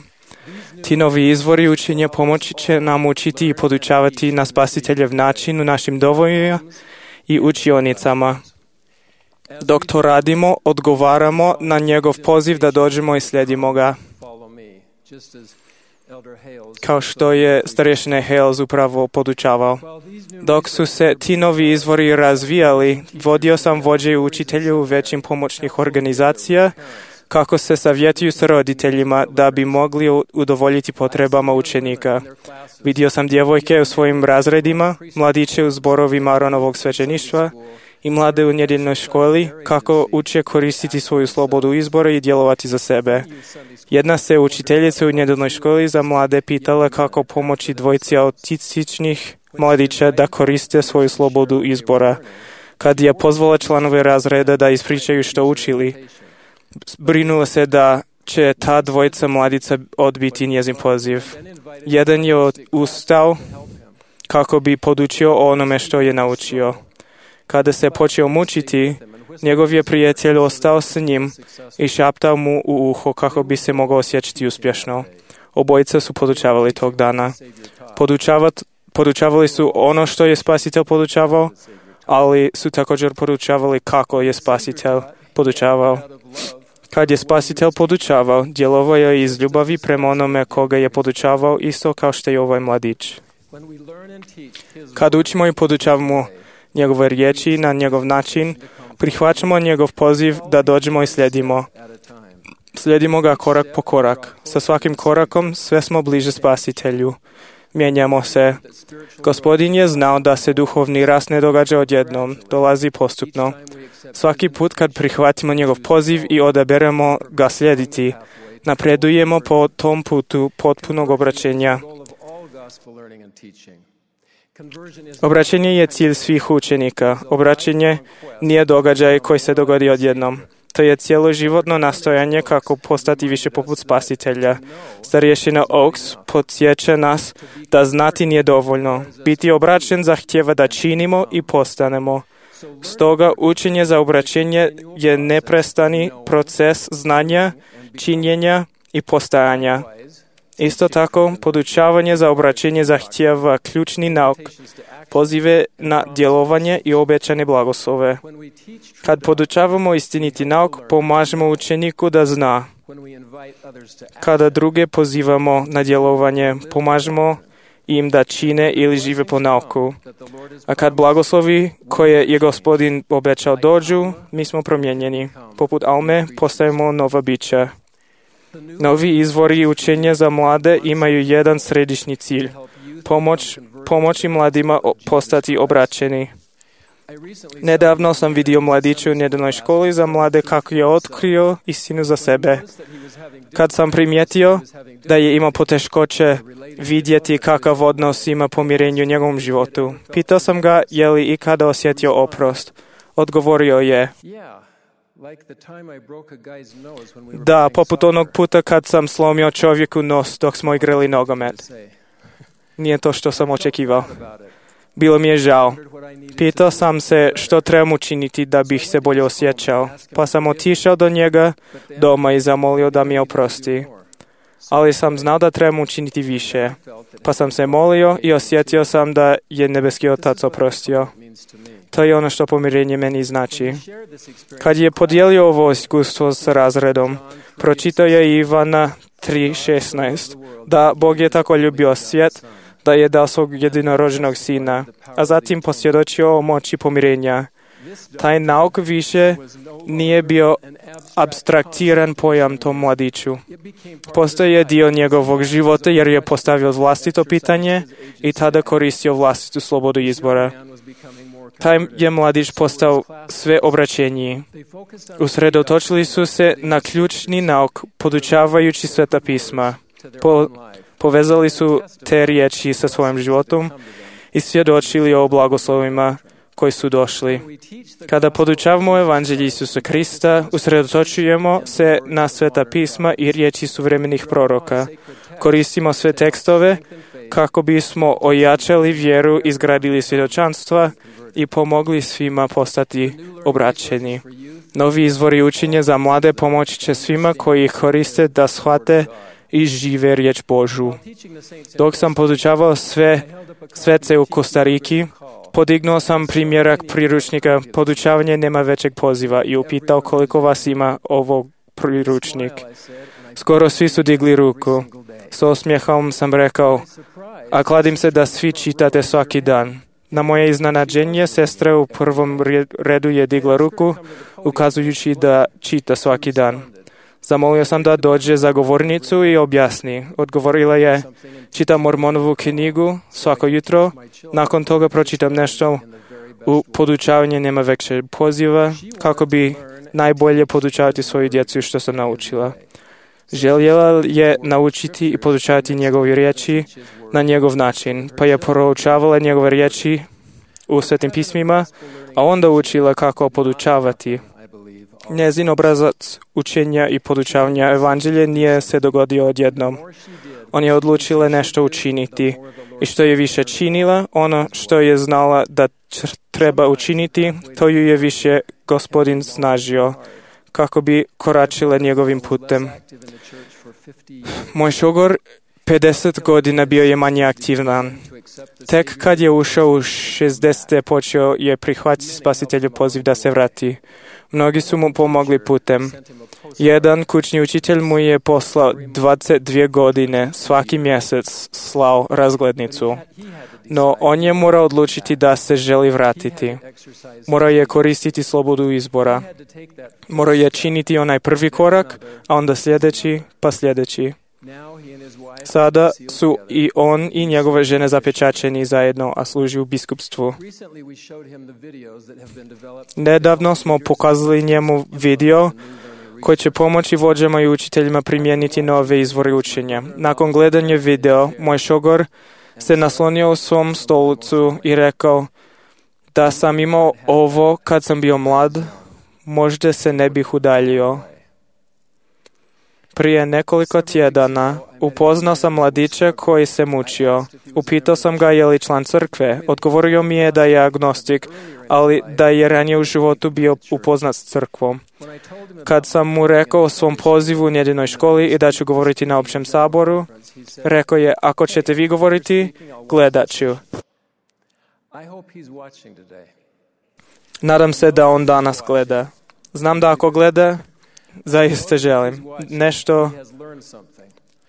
Ti novi izvori učenja pomoći će nam učiti i podučavati na Spasiteljev način u našim domovima i učionicama. Dok to radimo, odgovaramo na njegov poziv da dođemo i slijedimo ga. Kao što je starješina Hales upravo podučavao. Dok su se ti novi izvori razvijali, vodio sam vođe i učitelje u većim pomoćnih organizacija kako se savjetuju s roditeljima da bi mogli udovoljiti potrebama učenika. Vidio sam djevojke u svojim razredima, mladiće u zborovima Aronovog svećeništva i mlade u nedjeljnoj školi kako uče koristiti svoju slobodu izbora i djelovati za sebe. Jedna se učiteljica u nedjeljnoj školi za mlade pitala kako pomoći dvojci autističnih mladića da koriste svoju slobodu izbora. Kad je pozvala članove razreda da ispričaju što učili, brinula se da će ta dvojica mladica odbiti njezin poziv. Jedan je ustao kako bi podučio o onome što je naučio. Kada se počeo mučiti, njegov je prijatelj ostao s njim i šaptao mu u uho kako bi se mogao osjećati uspješno. Obojica su podučavali tog dana. Podučavat, podučavali su ono što je Spasitelj podučavao, ali su također podučavali kako je Spasitelj podučavao. Kad je Spasitelj podučavao, djelovao je iz ljubavi prema onome koga je podučavao, isto kao što je ovaj mladić. Kad učimo i podučavamo njegove riječi na njegov način, prihvaćamo njegov poziv da dođemo i slijedimo. Slijedimo ga korak po korak. Sa svakim korakom sve smo bliže Spasitelju. Mijenjamo se. Gospodin je znao da se duhovni rast ne događa odjednom, dolazi postupno. Svaki put kad prihvatimo njegov poziv i odaberemo ga slijediti, napredujemo po tom putu potpunog obraćenja. Obraćenje je cilj svih učenika. Obraćenje nije događaj koji se dogodi odjednom. To je cjeloživotno nastojanje kako postati više poput Spasitelja. Starješina Oaks podsjeća nas da znati nije dovoljno. Biti obraćen zahtijeva da činimo i postanemo. Stoga učenje za obraćenje je neprestani proces znanja, činjenja i postajanja. Isto tako, podučavanje za obraćenje zahtijeva ključni nauk, pozive na djelovanje i obećane blagoslove. Kad podučavamo istiniti nauk, pomažemo učeniku da zna. Kada druge pozivamo na djelovanje, pomažemo im da čine ili žive po nauku. A kad blagoslovi koje je Gospodin obećao dođu, mi smo promijenjeni. Poput Alme postajemo nova bića. Novi izvori učenja za mlade imaju jedan središnji cilj. Pomoć, pomoći mladima postati obraćeni. Nedavno sam vidio mladića u nedeljnoj školi za mlade kako je otkrio istinu za sebe. Kad sam primijetio da je imao poteškoće vidjeti kakav odnos ima pomirenju u njegovom životu, pitao sam ga je li ikada osjetio oprost. Odgovorio je: da, poput onog puta kad sam slomio čovjeku nos dok smo igrali nogomet. Nije to što sam očekivao. Bilo mi je žao. Pitao sam se što trebam učiniti da bih se bolje osjećao, pa sam otišao do njega doma i zamolio da mi oprosti. Ali sam znao da trebam učiniti više, pa sam se molio i osjetio sam da je nebeski Otac oprostio. To je ono što pomirenje meni znači. Kad je podijelio ovo iskustvo s razredom, pročitao je Ivana tri šesnaest, da Bog je tako ljubio svijet, da je dao svog jedinorođenog sina, a zatim posvjedočio o moći pomirenja. Taj nauk više nije bio apstraktiran pojam tom mladiću. Postoje dio njegovog života jer je postavio vlastito pitanje i tada koristio vlastitu slobodu izbora. Taj je mladić postao sve obraćeniji. Usredotočili su se na ključni nauk, podučavajući Sveta pisma. Po, povezali su te riječi sa svojim životom i svjedočili o blagoslovima koji su došli. Kada podučavamo evanđelje Isusa Krista, usredotočujemo se na Sveta pisma i riječi suvremenih proroka. Koristimo sve tekstove kako bismo ojačali vjeru, izgradili svjedočanstva i pomogli svima postati obraćeni. Novi izvori učenja za mlade pomoći će svima koji ih koriste da shvate i žive riječ Božju. Dok sam podučavao sve svece u Kostariki, podignuo sam primjerak priručnika Podučavanje nema većeg poziva i upitao koliko vas ima ovog priručnik. Skoro svi su digli ruku. S osmijehom sam rekao: a kladim se da svi čitate svaki dan. Na moje iznenađenje, sestra u prvom redu je digla ruku, ukazujući da čita svaki dan. Zamolio sam da dođe za govornicu i objasni. Odgovorila je: čitam Mormonovu knjigu svako jutro, nakon toga pročitam nešto u Podučavanje nema većeg poziva, kako bi najbolje podučavati svoju djecu što sam naučila. Željela je naučiti i podučavati njegove riječi na njegov način, pa je proučavala njegove riječi u Svetim pismima, a onda učila kako podučavati. Njezin obrazac učenja i podučavanja evanđelja nije se dogodio odjednom. On je odlučila nešto učiniti i što je više činila, ono što je znala da treba učiniti, to ju je više Gospodin snažio kako bi koračila njegovim putem. Moj šogor pedeset godina bio je manje aktivan. Tek kad je ušao u šezdesete počeo je prihvatiti spasitelju poziv da se vrati. Mnogi su mu pomogli putem. Jedan kućni učitelj mu je poslao dvadeset dvije godine, svaki mjesec slao razglednicu. No on je morao odlučiti da se želi vratiti. Morao je koristiti slobodu izbora. Morao je činiti onaj prvi korak, a onda sljedeći, pa sljedeći. Sada su i on i njegove žene zapečaćeni zajedno, a služi u biskupstvu. Nedavno smo pokazali njemu video koji će pomoći vođama i učiteljima primijeniti nove izvore učenja. Nakon gledanja video, moj šogor se naslonio u svom stolicu i rekao: da sam imao ovo kad sam bio mlad, možda se ne bih udaljio. Prije nekoliko tjedana upoznao sam mladića koji se mučio. Upitao sam ga je li član crkve. Odgovorio mi je da je agnostik, ali da je ranije u životu bio upoznat s crkvom. Kad sam mu rekao o svom pozivu u njedinoj školi i da ću govoriti na općem saboru, rekao je: ako ćete vi govoriti, gledat ću. Nadam se da on danas gleda. Znam da ako gleda, zaista želim. Nešto,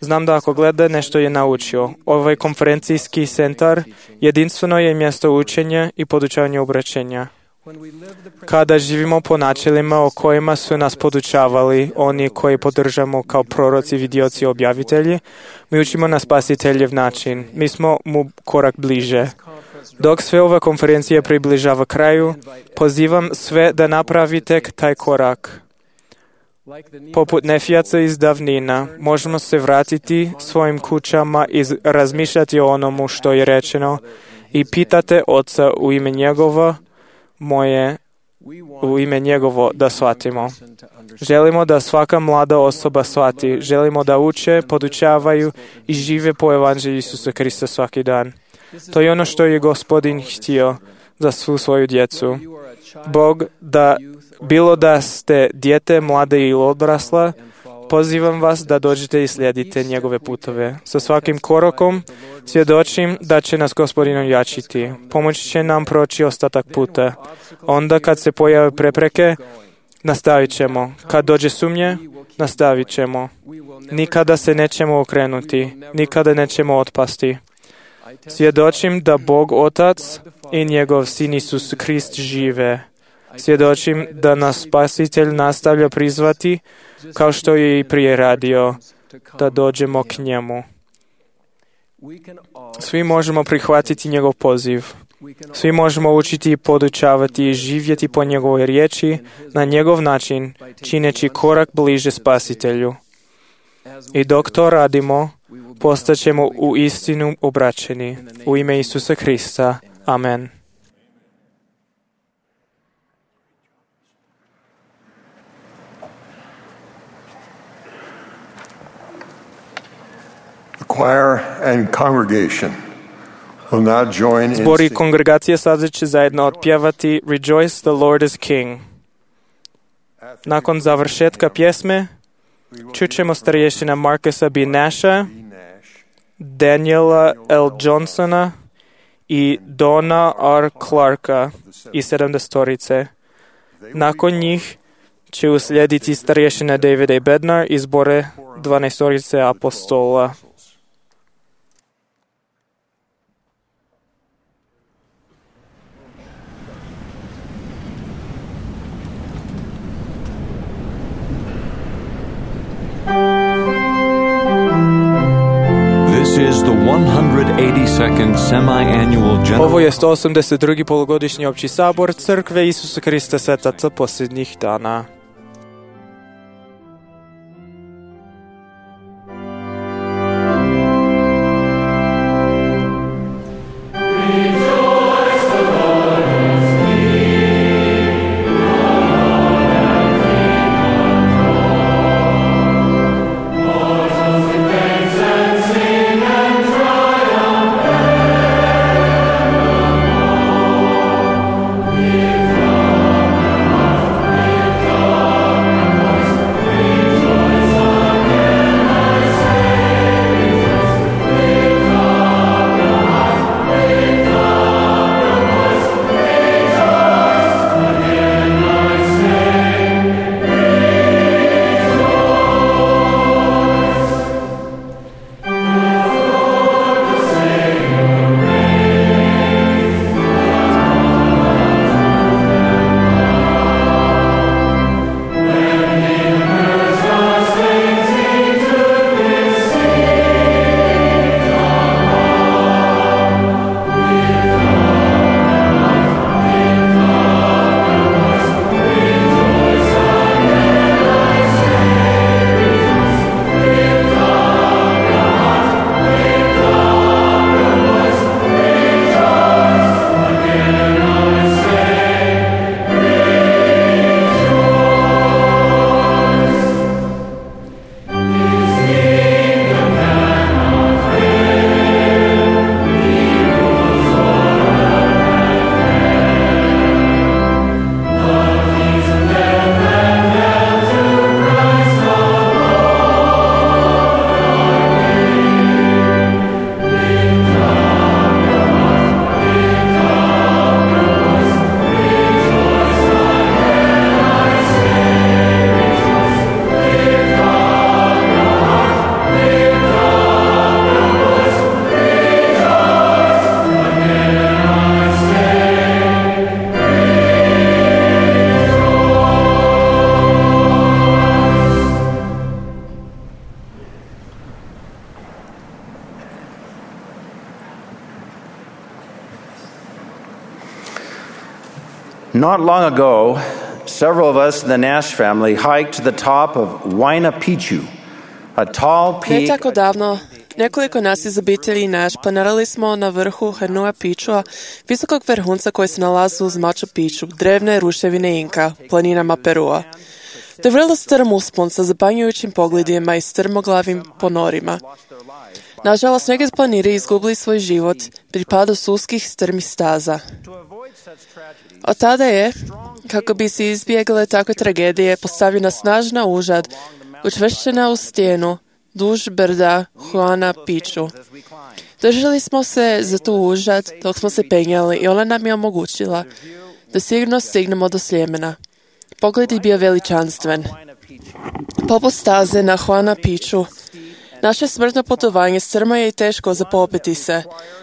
znam da ako gleda, nešto je naučio. Ovaj konferencijski centar jedinstveno je mjesto učenja i podučavanja obraćenja. Kada živimo po načelima o kojima su nas podučavali oni koji podržamo kao proroci, vidioci i objavitelji, mi učimo na spasiteljev način. Mi smo mu korak bliže. Dok sve ova konferencija približava kraju, pozivam sve da napravite taj korak. Poput Nefijaca iz davnina, možemo se vratiti svojim kućama i razmišljati o onomu što je rečeno i pitate Oca u ime njegovo, moje, u ime njegovo da shvatimo. Želimo da svaka mlada osoba shvati. Želimo da uče, podučavaju i žive po evanđelju Isusa Krista svaki dan. To je ono što je Gospodin htio za svu svoju djecu. Bog, da bilo da ste dijete, mlade ili odrasla, pozivam vas da dođete i slijedite njegove putove. Sa svakim korakom svjedočim da će nas Gospodin ojačiti. Pomoći će nam proći ostatak puta. Onda kad se pojave prepreke, nastavit ćemo. Kad dođe sumnje, nastavit ćemo. Nikada se nećemo okrenuti. Nikada nećemo otpasti. Svjedočim da Bog Otac i njegov Sin Isus Krist žive. Svjedočim da nas Spasitelj nastavlja prizvati, kao što je i prije radio, da dođemo k njemu. Svi možemo prihvatiti njegov poziv. Svi možemo učiti i podučavati i živjeti po njegovoj riječi na njegov način, čineći korak bliže Spasitelju. I dok to radimo, postaćemo u istinu obraćeni. U ime Isusa Krista. Amen. Choir and congregation will now join in Zbor i kongregacije sada će zajedno otpjevati Rejoice, the Lord is King. Nakon završetka pjesme čućemo starješina Marcusa B. Nasha, Daniela L. Johnsona i Donna R. Clarka i sedamdesetorice. Nakon njih će uslijediti starješina David A. Bednar i zbore dvanaestorice apostola. This is the one hundred eighty-second semi-annual general... Ovo je sto osamdeset drugi polugodišnji opći sabor Crkve Isusa Krista Svetaca posljednjih dana. Give Not long ago, several of us in the Nash family hiked to the top of Huayna Picchu, a tall Ne peak. tako davno, nekoliko nas iz obitelji Naš planirali smo na vrhu Huayna Picchua, visokog vrhunca koji se nalazi uz Machu Picchu, drevne ruševine Inka, planinama Perua. To je vrlo strm uspon sa zapanjujućim pogledima i strmoglavim ponorima. Nažalost, neki planiri izgubili svoj život pri padu s uskih strmih staza. Od tada je, kako bi se izbjegle takve tragedije, postavljena snažna užad, učvršćena u stijenu, duž brda Huayna Picchu. Držali smo se za tu užad dok smo se penjali i ona nam je omogućila da sigurno stignemo do Sljemena. Pogled je bio veličanstven. Poput staze na Huayna Picchu, naše smrtno putovanje strmo je i teško za popeti se.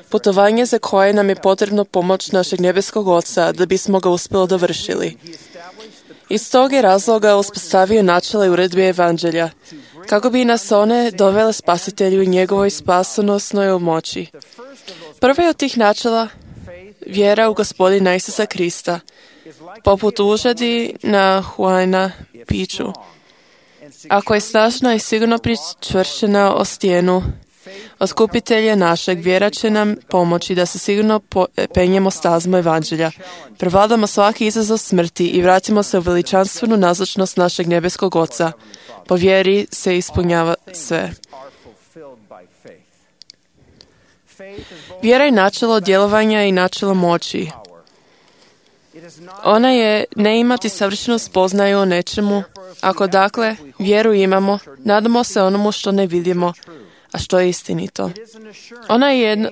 Putovanje za koje nam je potrebno pomoć našeg nebeskog Oca da bismo ga uspjeli dovršili. Iz tog je razloga uspostavio načela i uredbe Evanđelja, kako bi nas one dovele Spasitelju i njegovoj spasonosnoj moći. Prvo je od tih načela vjera u Gospodina Isusa Krista, poput užadi na Huayna Picchu. Ako je snažna i sigurno pričvršćena o stijenu Otkupitelja našeg, vjera će nam pomoći da se sigurno penjemo stazmo Evanđelja, prevladamo svaki izazov smrti i vratimo se u veličanstvenu nazočnost našeg nebeskog Oca. Po vjeri se ispunjava sve. Vjera je načelo djelovanja i načelo moći. Ona je ne imati savršenu spoznaju o nečemu. Ako dakle vjeru imamo, nadamo se onomu što ne vidimo, a što je istinito. Ona je jedno,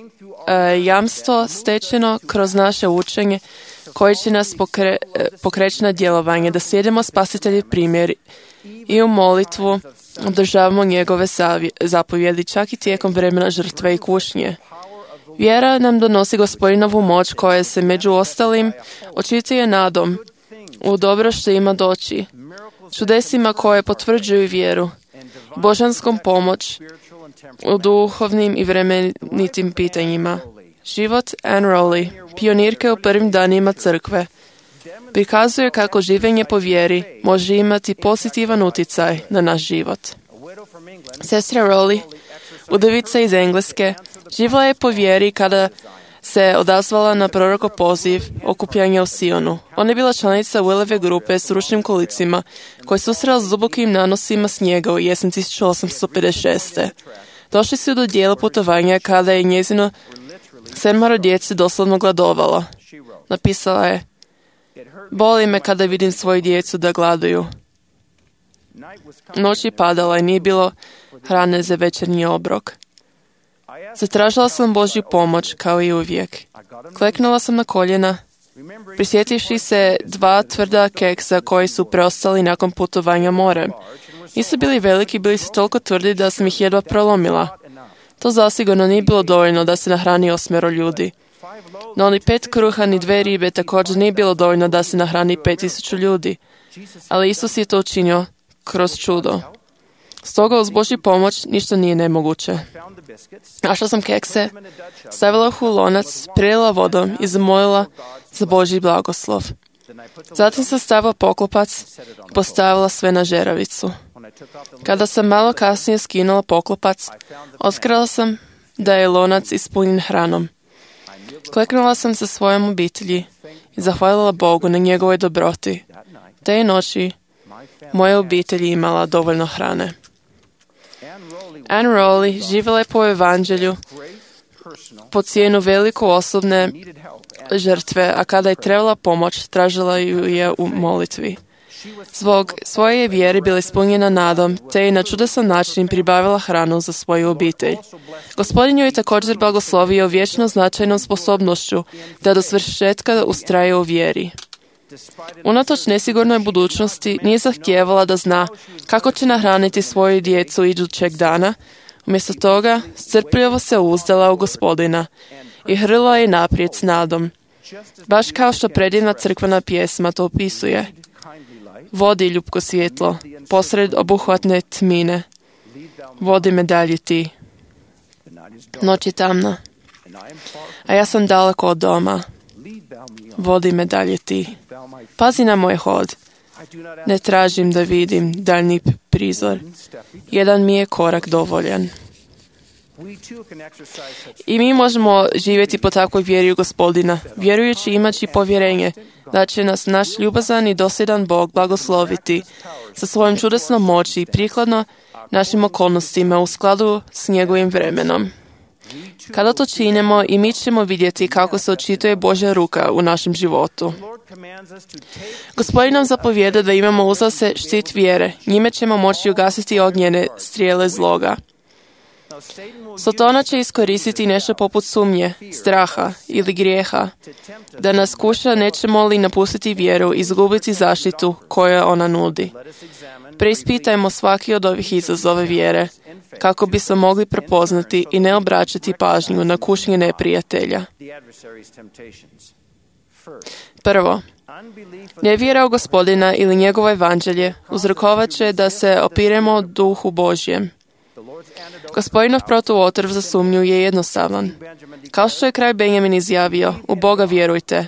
e, jamstvo stečeno kroz naše učenje koje će nas pokre, e, pokreći na djelovanje, da slijedimo Spasiteljev primjer i u molitvu održavamo njegove savje, zapovjedi čak i tijekom vremena žrtve i kušnje. Vjera nam donosi Gospodinovu moć koja se među ostalim očituje nadom u dobro što ima doći, čudesima koje potvrđuju vjeru, božanskom pomoć u duhovnim i vremenitim pitanjima. Život Anne Rowley, pionirke u prvim danima crkve, prikazuje kako življenje po vjeri može imati pozitivan utjecaj na naš život. Sestra Rowley, udovica iz Engleske, živjela je po vjeri kada se odazvala na prorokov poziv okupljanja u Sionu. Ona je bila članica Willove grupe s ručnim kolicima koji su susrela s dubokim nanosima snijega u jesen tisuću osamsto pedeset šeste. Došli su do dijela putovanja kada je njezino sedmero djece doslovno gladovalo. Napisala je: "Boli me kada vidim svoju djecu da gladuju." Noć je padala i nije bilo hrane za večernji obrok. Zatražila sam Božju pomoć, kao i uvijek. Kleknula sam na koljena, prisjetivši se dva tvrda keksa koji su preostali nakon putovanja morem. Nisu bili veliki, bili su toliko tvrdi da sam ih jedva prolomila. To zasigurno nije bilo dovoljno da se nahrani osmero ljudi. No ni pet kruha ni dve ribe također nije bilo dovoljno da se nahrani pet tisuća ljudi. Ali Isus je to učinio kroz čudo. Stoga uz Božju pomoć ništa nije nemoguće. Našla sam kekse, stavila ih u lonac, prilila vodom i zamolila za Božji blagoslov. Zatim sam stavila poklopac i postavila sve na žeravicu. Kada sam malo kasnije skinula poklopac, otkrila sam da je lonac ispunjen hranom. Kleknula sam sa svojom obitelji i zahvalila Bogu na njegovoj dobroti. Te noći moja obitelj imala dovoljno hrane. Anne Rowley živjela je po Evanđelju po cijenu veliku osobne žrtve, a kada je trebala pomoć, tražila ju je u molitvi. Zbog svoje vjere bila ispunjena nadom, te je na čudesan način pribavila hranu za svoju obitelj. Gospodin ju je također blagoslovio vječno značajnom sposobnošću da do svršetka ustraje u vjeri. Unatoč nesigurnoj budućnosti nije zahtijevala da zna kako će nahraniti svoju djecu idućeg dana. Umjesto toga strpljivo se uzdala u Gospodina i hrlila je naprijed s nadom. Baš kao što predivna crkvena pjesma to opisuje. Vodi ljubko svjetlo, posred obuhvatne tmine. Vodi me dalje ti. Noć je tamna, a ja sam daleko od doma. Vodi me dalje ti. Pazi na moj hod. Ne tražim da vidim daljni prizor. Jedan mi je korak dovoljan. I mi možemo živjeti po takvoj vjeri u Gospodina, vjerujući imaći povjerenje da će nas naš ljubazan i dosljedan Bog blagosloviti sa svojom čudesnom moći i prikladno našim okolnostima u skladu s njegovim vremenom. Kada to činimo, i mi ćemo vidjeti kako se očituje Božja ruka u našem životu. Gospodin nam zapovijeda da imamo uza se štit vjere, njime ćemo moći ugasiti ognjene strijele zloga. Sotona će iskoristiti nešto poput sumnje, straha ili grijeha, da nas kuša nećemo li napustiti vjeru i izgubiti zaštitu koju ona nudi. Preispitajmo svaki od ovih izazova vjere, kako bismo mogli prepoznati i ne obraćati pažnju na kušnje neprijatelja. Prvo, nevjera u Gospodina ili njegovo evanđelje uzrokovat će da se opiremo duhu Božjem. Gospodinov protuotrv za sumnju je jednostavan. Kao što je kralj Benjamin izjavio, u Boga vjerujte.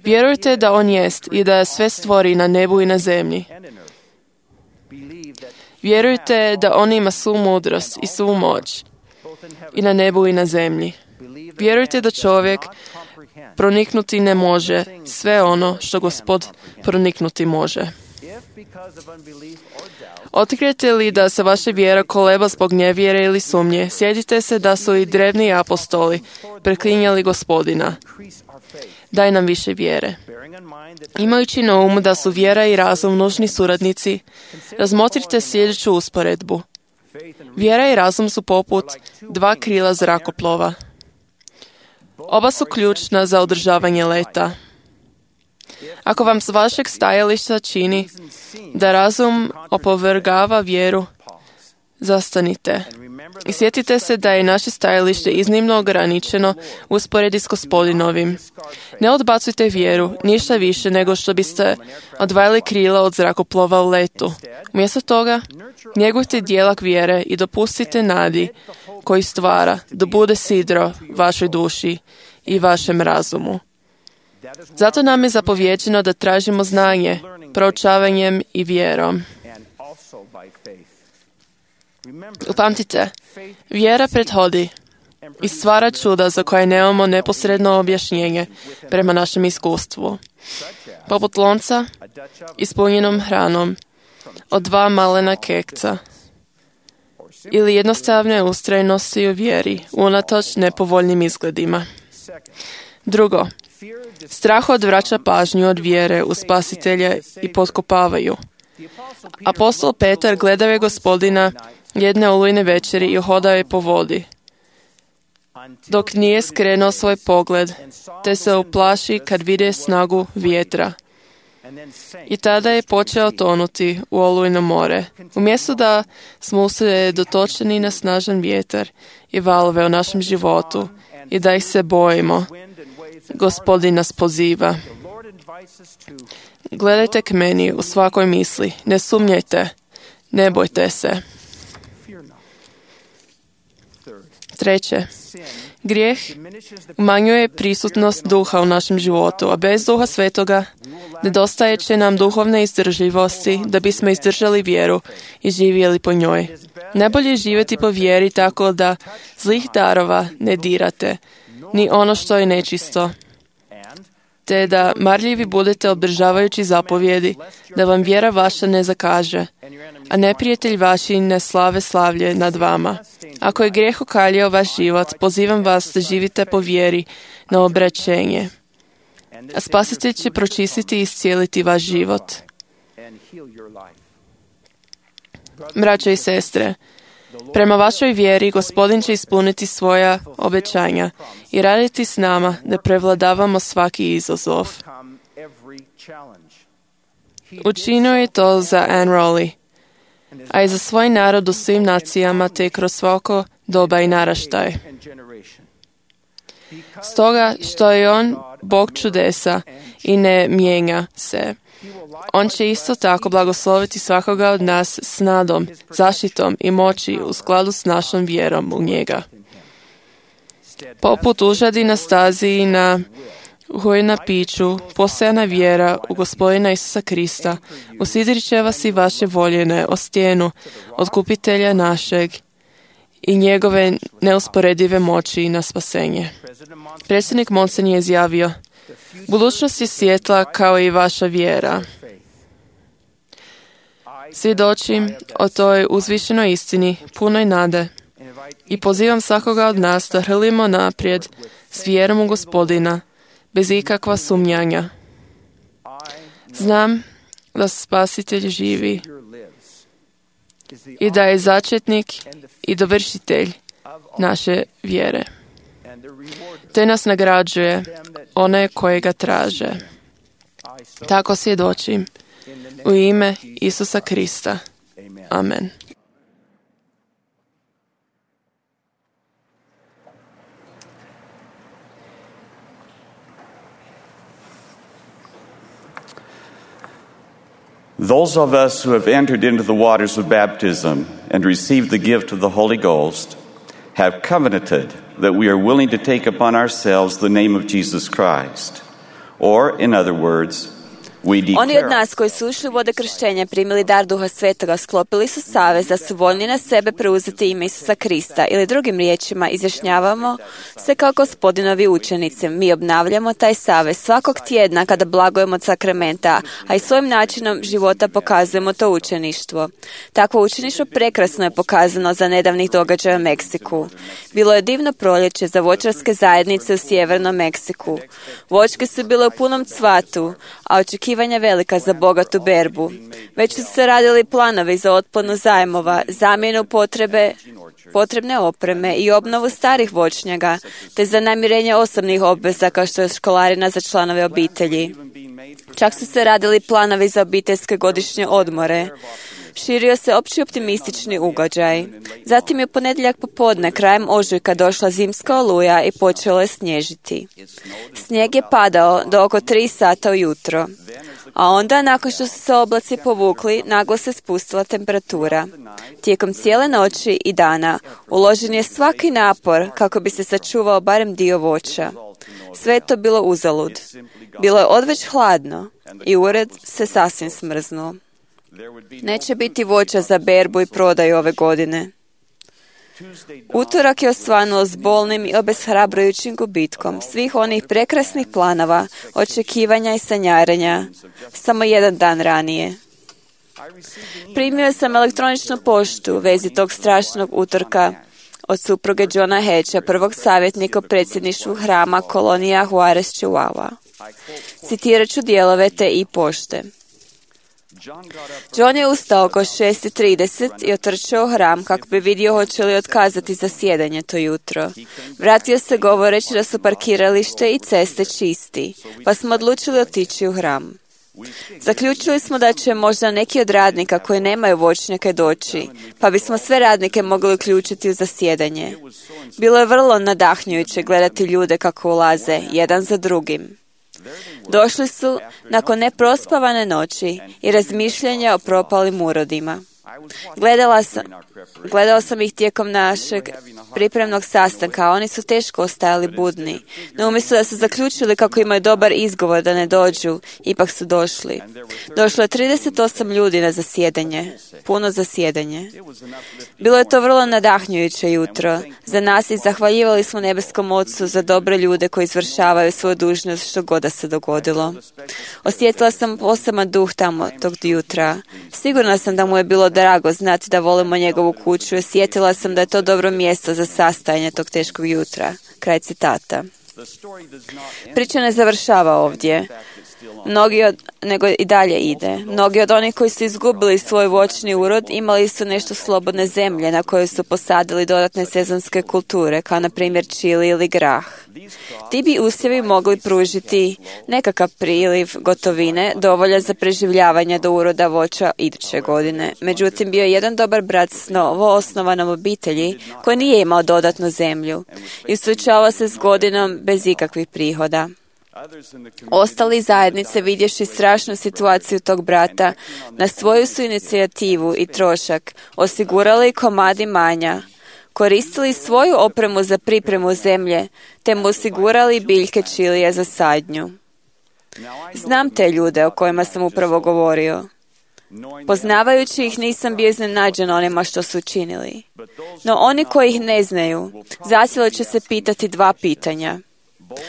Vjerujte da On jest i da sve stvori na nebu i na zemlji. Vjerujte da On ima svu mudrost i svu moć i na nebu i na zemlji. Vjerujte da čovjek proniknuti ne može sve ono što Gospod proniknuti može. Otkrijete li da se vaša vjera koleba zbog nevjere ili sumnje, sjetite se da su i drevni apostoli preklinjali Gospodina. Daj nam više vjere. Imajući na umu da su vjera i razum nužni suradnici, razmotrite sljedeću usporedbu. Vjera i razum su poput dva krila zrakoplova. Oba su ključna za održavanje leta. Ako vam s vašeg stajališta čini da razum opovrgava vjeru, zastanite. I sjetite se da je naše stajalište iznimno ograničeno u usporedbi s Gospodinovim. Ne odbacujte vjeru, ništa više nego što biste odvajali krila od zrakoplova u letu. Umjesto toga, njegujte djelak vjere i dopustite nadi koji stvara da bude sidro vašoj duši i vašem razumu. Zato nam je zapovjeđeno da tražimo znanje, proučavanjem i vjerom. Upamtite, vjera prethodi i stvara čuda za koje nemamo neposredno objašnjenje prema našem iskustvu. Poput lonca ispunjenom hranom od dva malena kekca ili jednostavne ustrajnosti u vjeri unatoč nepovoljnim izgledima. Drugo, strah odvraća pažnju od vjere u Spasitelja i potkopavaju. Apostol Petar gledao je Gospodina jedne olujne večeri i hodao je po vodi, dok nije skrenuo svoj pogled, te se uplaši kad vide snagu vjetra. I tada je počeo tonuti u olujno more. Umjesto da smo usredotočeni na snažan vjetar i valove u našem životu i da ih se bojimo, Gospodin nas poziva. Gledajte k meni u svakoj misli, ne sumnjajte, ne bojte se. Treće, grijeh umanjuje prisutnost duha u našem životu, a bez duha svetoga nedostaje će nam duhovne izdržljivosti da bismo izdržali vjeru i živjeli po njoj. Najbolje je živjeti po vjeri tako da zlih darova ne dirate, ni ono što je nečisto, te da marljivi budete obdržavajući zapovjedi, da vam vjera vaša ne zakaže, a neprijatelj vaši ne slave slavlje nad vama. Ako je grijeh okaljao vaš život, pozivam vas da živite po vjeri na obraćenje, a Spasitelj će pročistiti i iscijeliti vaš život. Braćo i sestre, prema vašoj vjeri Gospodin će ispuniti svoja obećanja i raditi s nama da prevladavamo svaki izazov. Učinio je to za Anne Rowley, a i za svoj narod u svim nacijama te kroz svako doba i naraštaj. Stoga što je on Bog čudesa i ne mijenja se, on će isto tako blagosloviti svakoga od nas s nadom, zaštitom i moći u skladu s našom vjerom u njega. Poput užadi na stazi i na u na piću, postojana vjera u Gospodina Isusa Krista, usidrit će vas i vaše voljene o stijenu otkupitelja našeg i njegove neusporedive moći na spasenje. Predsjednik Monsen je izjavio: budućnost je svjetla kao i vaša vjera. Svjedočim o toj uzvišenoj istini, punoj nade, i pozivam svakoga od nas da hrlimo naprijed s vjerom u Gospodina, bez ikakva sumnjanja. Znam da Spasitelj živi i da je začetnik i dovršitelj naše vjere, te nas nagrađuje one koje ga traže. Tako svjedočim u ime Isusa Krista. Amen. Those of us who have entered into the waters of baptism and received the gift of the Holy Ghost have covenanted that we are willing to take upon ourselves the name of Jesus Christ. Or, in other words, we declare... Oni od nas koji su ušli u vode krštenja, primili dar Duha Svetoga, sklopili su savez da su voljni na sebe preuzeti ime Isusa Krista, ili drugim riječima izjašnjavamo se kao Gospodinovi učenici. Mi obnavljamo taj savez svakog tjedna kada blagujemo od sakramenta, a i svojim načinom života pokazujemo to učeništvo. Takvo učeništvo prekrasno je pokazano za nedavnih događaja u Meksiku. Bilo je divno proljeće za voćarske zajednice u sjevernom Meksiku. Voćke su bile u punom cvatu, a očekivanja velika za bogatu berbu. Već su se radili planovi za otplatu zajmova, zamjenu potrebe, potrebne opreme i obnovu starih voćnjaka, te za namirenje osobnih obveza kao što je školarina za članove obitelji. Čak su se radili planovi za obiteljske godišnje odmore. Širio se opći optimistični ugađaj. Zatim je u ponedjeljak popodne, krajem ožujka, došla zimska oluja i počelo je snježiti. Snijeg je padao do oko tri sata ujutro. A onda, nakon što su se oblaci povukli, naglo se spustila temperatura. Tijekom cijele noći i dana uložen je svaki napor kako bi se sačuvao barem dio voća. Sve je to bilo uzalud. Bilo je odveć hladno i ured se sasvim smrznuo. Neće biti voća za berbu i prodaju ove godine. Utorak je osvanuo s bolnim i obeshrabrujućim gubitkom svih onih prekrasnih planova, očekivanja i sanjarenja, samo jedan dan ranije. Primio sam elektroničnu poštu u vezi tog strašnog utorka od supruge Johna Hedgea, prvog savjetnika u predsjedništvu hrama kolonija Juarez Chihuahua. Citirat ću dijelove te i pošte. John je ustao oko šest i trideset i otrčao u hram kako bi vidio hoće li otkazati zasjedanje to jutro. Vratio se govoreći da su parkiralište i ceste čisti, pa smo odlučili otići u hram. Zaključili smo da će možda neki od radnika koji nemaju voćnjake doći, pa bismo sve radnike mogli uključiti u zasjedanje. Bilo je vrlo nadahnjujuće gledati ljude kako ulaze, jedan za drugim. Došli su nakon neprospavane noći i razmišljanja o propalim urodima. Gledala sam, gledao sam ih tijekom našeg pripremnog sastanka, a oni su teško ostajali budni. No umjesto da su zaključili kako imaju dobar izgovor da ne dođu, ipak su došli. Došlo je trideset osam ljudi na zasjedanje, puno zasjedanje. Bilo je to vrlo nadahnjujuće jutro za nas i zahvaljivali smo nebeskom Ocu za dobre ljude koji izvršavaju svoju dužnost što god da se dogodilo. Osjetila sam poseban duh tamo tog jutra. Sigurna sam da mu je bilo drago znati da volimo njegovu kuću i osjetila sam da je to dobro mjesto za sastajanje tog teškog jutra. Kraj citata. Priča ne završava ovdje. Mnogi od, nego i dalje ide. Mnogi od onih koji su izgubili svoj voćni urod imali su nešto slobodne zemlje na kojoj su posadili dodatne sezonske kulture, kao na primjer čili ili grah. Ti bi usjevi mogli pružiti nekakav priliv gotovine dovoljan za preživljavanje do uroda voća iduće godine. Međutim, bio je jedan dobar brat s novo osnovanom obitelji koji nije imao dodatnu zemlju i suočavao se s godinom bez ikakvih prihoda. Ostali zajednice, vidjevši strašnu situaciju tog brata, na svoju su inicijativu i trošak osigurali komad imanja koristili svoju opremu za pripremu zemlje, te mu osigurali biljke čilija za sadnju. Znam te ljude o kojima sam upravo govorio. Poznavajući ih nisam bio iznenađen onima što su učinili. No oni koji ih ne znaju, zacijelo će se pitati dva pitanja,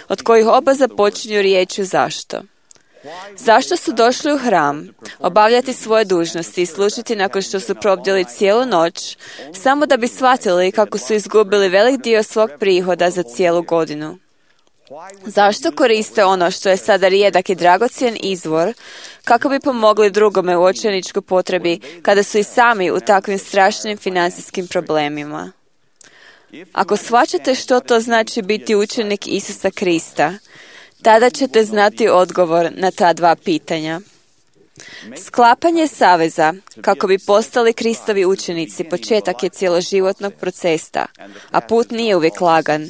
od kojih oba započinju riječju zašto. Zašto su došli u hram, obavljati svoje dužnosti i služiti nakon što su probdjeli cijelu noć, samo da bi shvatili kako su izgubili velik dio svog prihoda za cijelu godinu? Zašto koriste ono što je sada rijedak i dragocjen izvor, kako bi pomogli drugome u očajničkoj potrebi, kada su i sami u takvim strašnim financijskim problemima? Ako shvaćate što to znači biti učenik Isusa Krista, tada ćete znati odgovor na ta dva pitanja. Sklapanje saveza, kako bi postali Kristovi učenici, početak je cjeloživotnog procesa, a put nije uvijek lagan.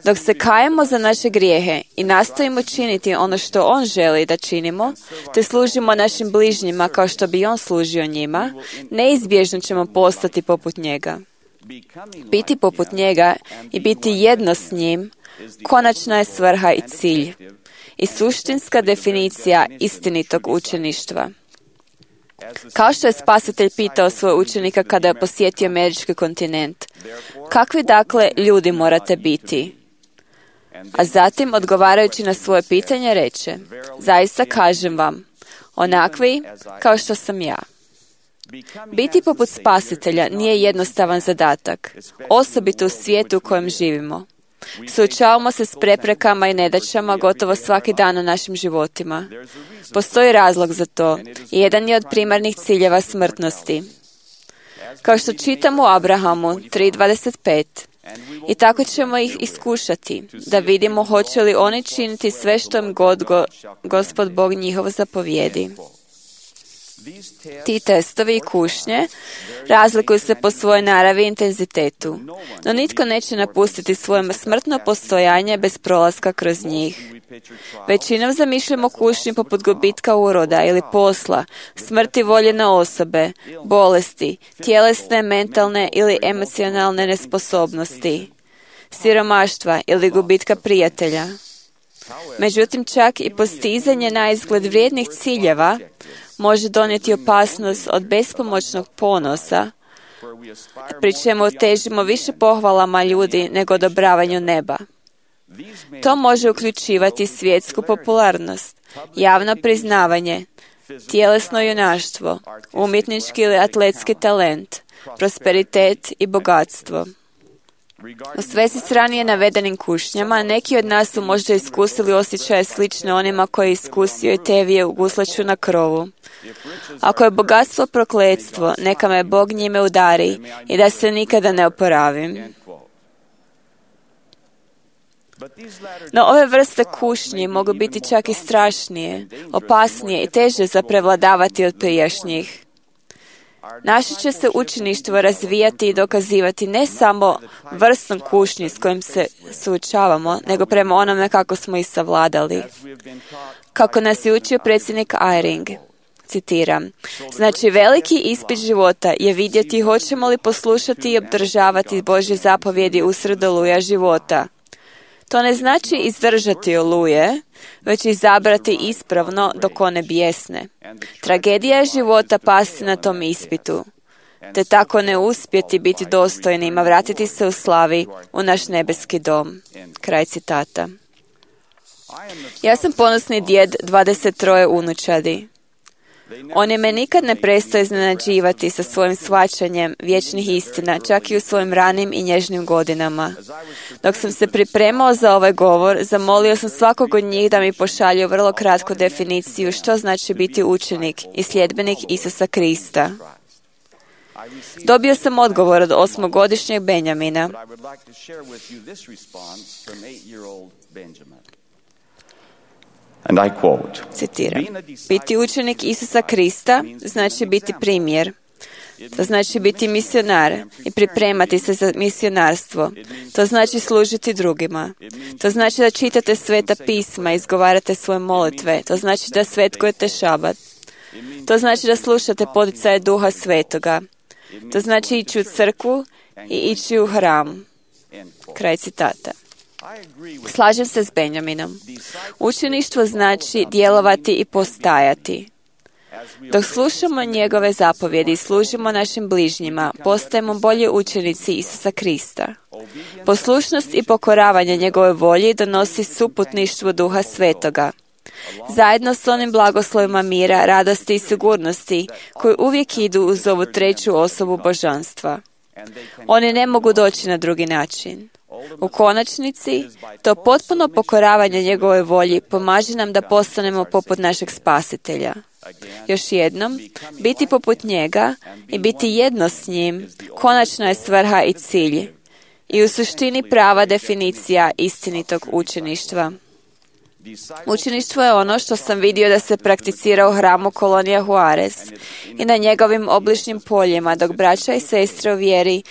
Dok se kajemo za naše grijehe i nastojimo činiti ono što On želi da činimo, te služimo našim bližnjima kao što bi On služio njima, neizbježno ćemo postati poput njega. Biti poput njega i biti jedno s njim, konačna je svrha i cilj i suštinska definicija istinitog učeništva. Kao što je Spasitelj pitao svoje učenika kada je posjetio američki kontinent, kakvi dakle ljudi morate biti? A zatim, odgovarajući na svoje pitanje, reče, zaista kažem vam, onakvi kao što sam ja. Biti poput Spasitelja nije jednostavan zadatak, osobito u svijetu u kojem živimo. Suočavamo se s preprekama i nedaćama gotovo svaki dan u našim životima. Postoji razlog za to i jedan je od primarnih ciljeva smrtnosti. Kao što čitamo u Abrahamu tri dvadeset pet, i tako ćemo ih iskušati, da vidimo hoće li oni činiti sve što im god go, Gospod Bog njihov zapovijedi. Ti testovi i kušnje razlikuju se po svojoj naravi i intenzitetu, no nitko neće napustiti svoje smrtno postojanje bez prolaska kroz njih. Većinom zamišljamo kušnju poput gubitka uroda ili posla, smrti voljene osobe, bolesti, tjelesne, mentalne ili emocionalne nesposobnosti, siromaštva ili gubitka prijatelja. Međutim, čak i postizanje na izgled vrijednih ciljeva može donijeti opasnost od bespomoćnog ponosa, pri čemu težimo više pohvalama ljudi nego odobravanju neba. To može uključivati svjetsku popularnost, javno priznavanje, tjelesno junaštvo, umjetnički ili atletski talent, prosperitet i bogatstvo. U svezi s ranije navedenim kušnjama, neki od nas su možda iskusili osjećaje slične onima koji je iskusio i tevije u guslaču na krovu. Ako je bogatstvo prokletstvo, neka me Bog njime udari i da se nikada ne oporavim. No ove vrste kušnji mogu biti čak i strašnije, opasnije i teže za prevladavati od prijašnjih. Naše će se učeništvo razvijati i dokazivati ne samo vrstom kušnji s kojim se suočavamo, nego prema onome kako smo ih savladali. Kako nas je učio predsjednik Eyring, citiram, znači veliki ispit života je vidjeti hoćemo li poslušati i obdržavati Božje zapovjedi usred oluja života. To ne znači izdržati oluje, već izabrati ispravno dok one bijesne. Tragedija je života pasti na tom ispitu, te tako ne uspjeti biti dostojnima, vratiti se u slavi u naš nebeski dom. Kraj citata. Ja sam ponosni djed dvadeset troje unučadi. Oni me nikad ne prestaju iznenađivati sa svojim shvaćanjem vječnih istina, čak i u svojim ranim i nježnim godinama. Dok sam se pripremao za ovaj govor, zamolio sam svakog od njih da mi pošalju vrlo kratku definiciju što znači biti učenik i sljedbenik Isusa Krista. Dobio sam odgovor od osmogodišnjeg Benjamina. And I quote, citiram, biti učenik Isusa Krista znači biti primjer. To znači biti misionar i pripremati se za misionarstvo. To znači služiti drugima. To znači da čitate sveta pisma i izgovarate svoje molitve. To znači da svetkujete šabat. To znači da slušate poticaje Duha Svetoga. To znači ići u crkvu i ići u hram. Kraj citata. Slažem se s Benjaminom. Učeništvo znači djelovati i postajati. Dok slušamo njegove zapovjedi i služimo našim bližnjima, postajemo bolji učenici Isusa Krista. Poslušnost i pokoravanje njegove volji donosi suputništvo Duha Svetoga. Zajedno s onim blagoslovima mira, radosti i sigurnosti koji uvijek idu uz ovu treću osobu božanstva. Oni ne mogu doći na drugi način. U konačnici, to potpuno pokoravanje njegove volji pomaže nam da postanemo poput našeg Spasitelja. Još jednom, biti poput njega i biti jedno s njim, konačna je svrha i cilj i u suštini prava definicija istinitog učeništva. Učeništvo je ono što sam vidio da se prakticira u hramu Kolonija Juarez i na njegovim obližnjim poljima, dok braća i sestre u vjeri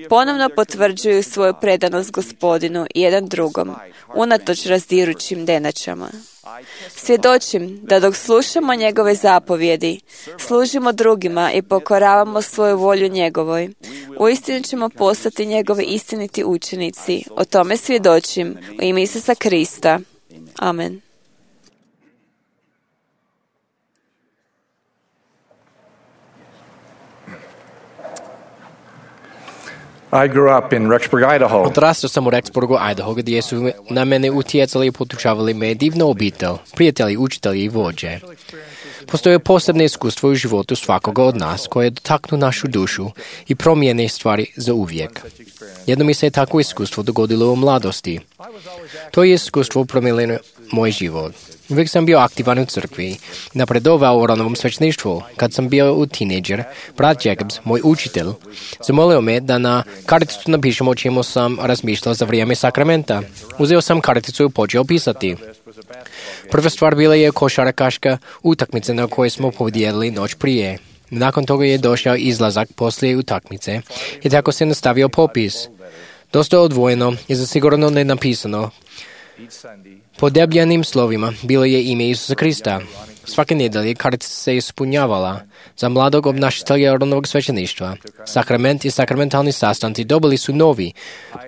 ponovno potvrđuju svoju predanost Gospodinu i jedan drugom, unatoč razdirućim denačama. Svjedočim da dok slušamo njegove zapovjedi, služimo drugima i pokoravamo svoju volju njegovoj, uistinu ćemo postati njegovi istiniti učenici. O tome svjedočim u ime Isusa Krista. Amen. I grew up in Rexburg, Idaho. Odrastao sam u Rexburgu, Idaho, gdje su na mene utjecali i potučavali me divnu obitelj, prijatelji, učitelji i vođe. Postoje posebne iskustvo u životu svakoga od nas koje dotaknu našu dušu i promijene stvari za uvijek. Jedno mi se takvo iskustvo dogodilo u mladosti. To je iskustvo promijenilo moj život. Uvijek sam bio aktivan u crkvi i napredovao u ranovom svećništvu. Kad sam bio u tineđer, brat Jacobs, moj učitelj, zamolio me da na karticu napišem o čemu sam razmišljao za vrijeme sakramenta. Uzeo sam karticu i počeo pisati. Prva stvar bila je košarkaška utakmica na kojoj smo podijelili noć prije. Nakon toga je došao izlazak poslije utakmice i tako se nastavio popis. Dosta odvojeno i zasigurno ne napisano. Po debljanim slovima bilo je ime Isusa Krista. Svake nedelje kartica se ispunjavala. Za mladog obnašatelja ranog svećeništva. Sakrament i sakramentalni sastanci dobili su novi,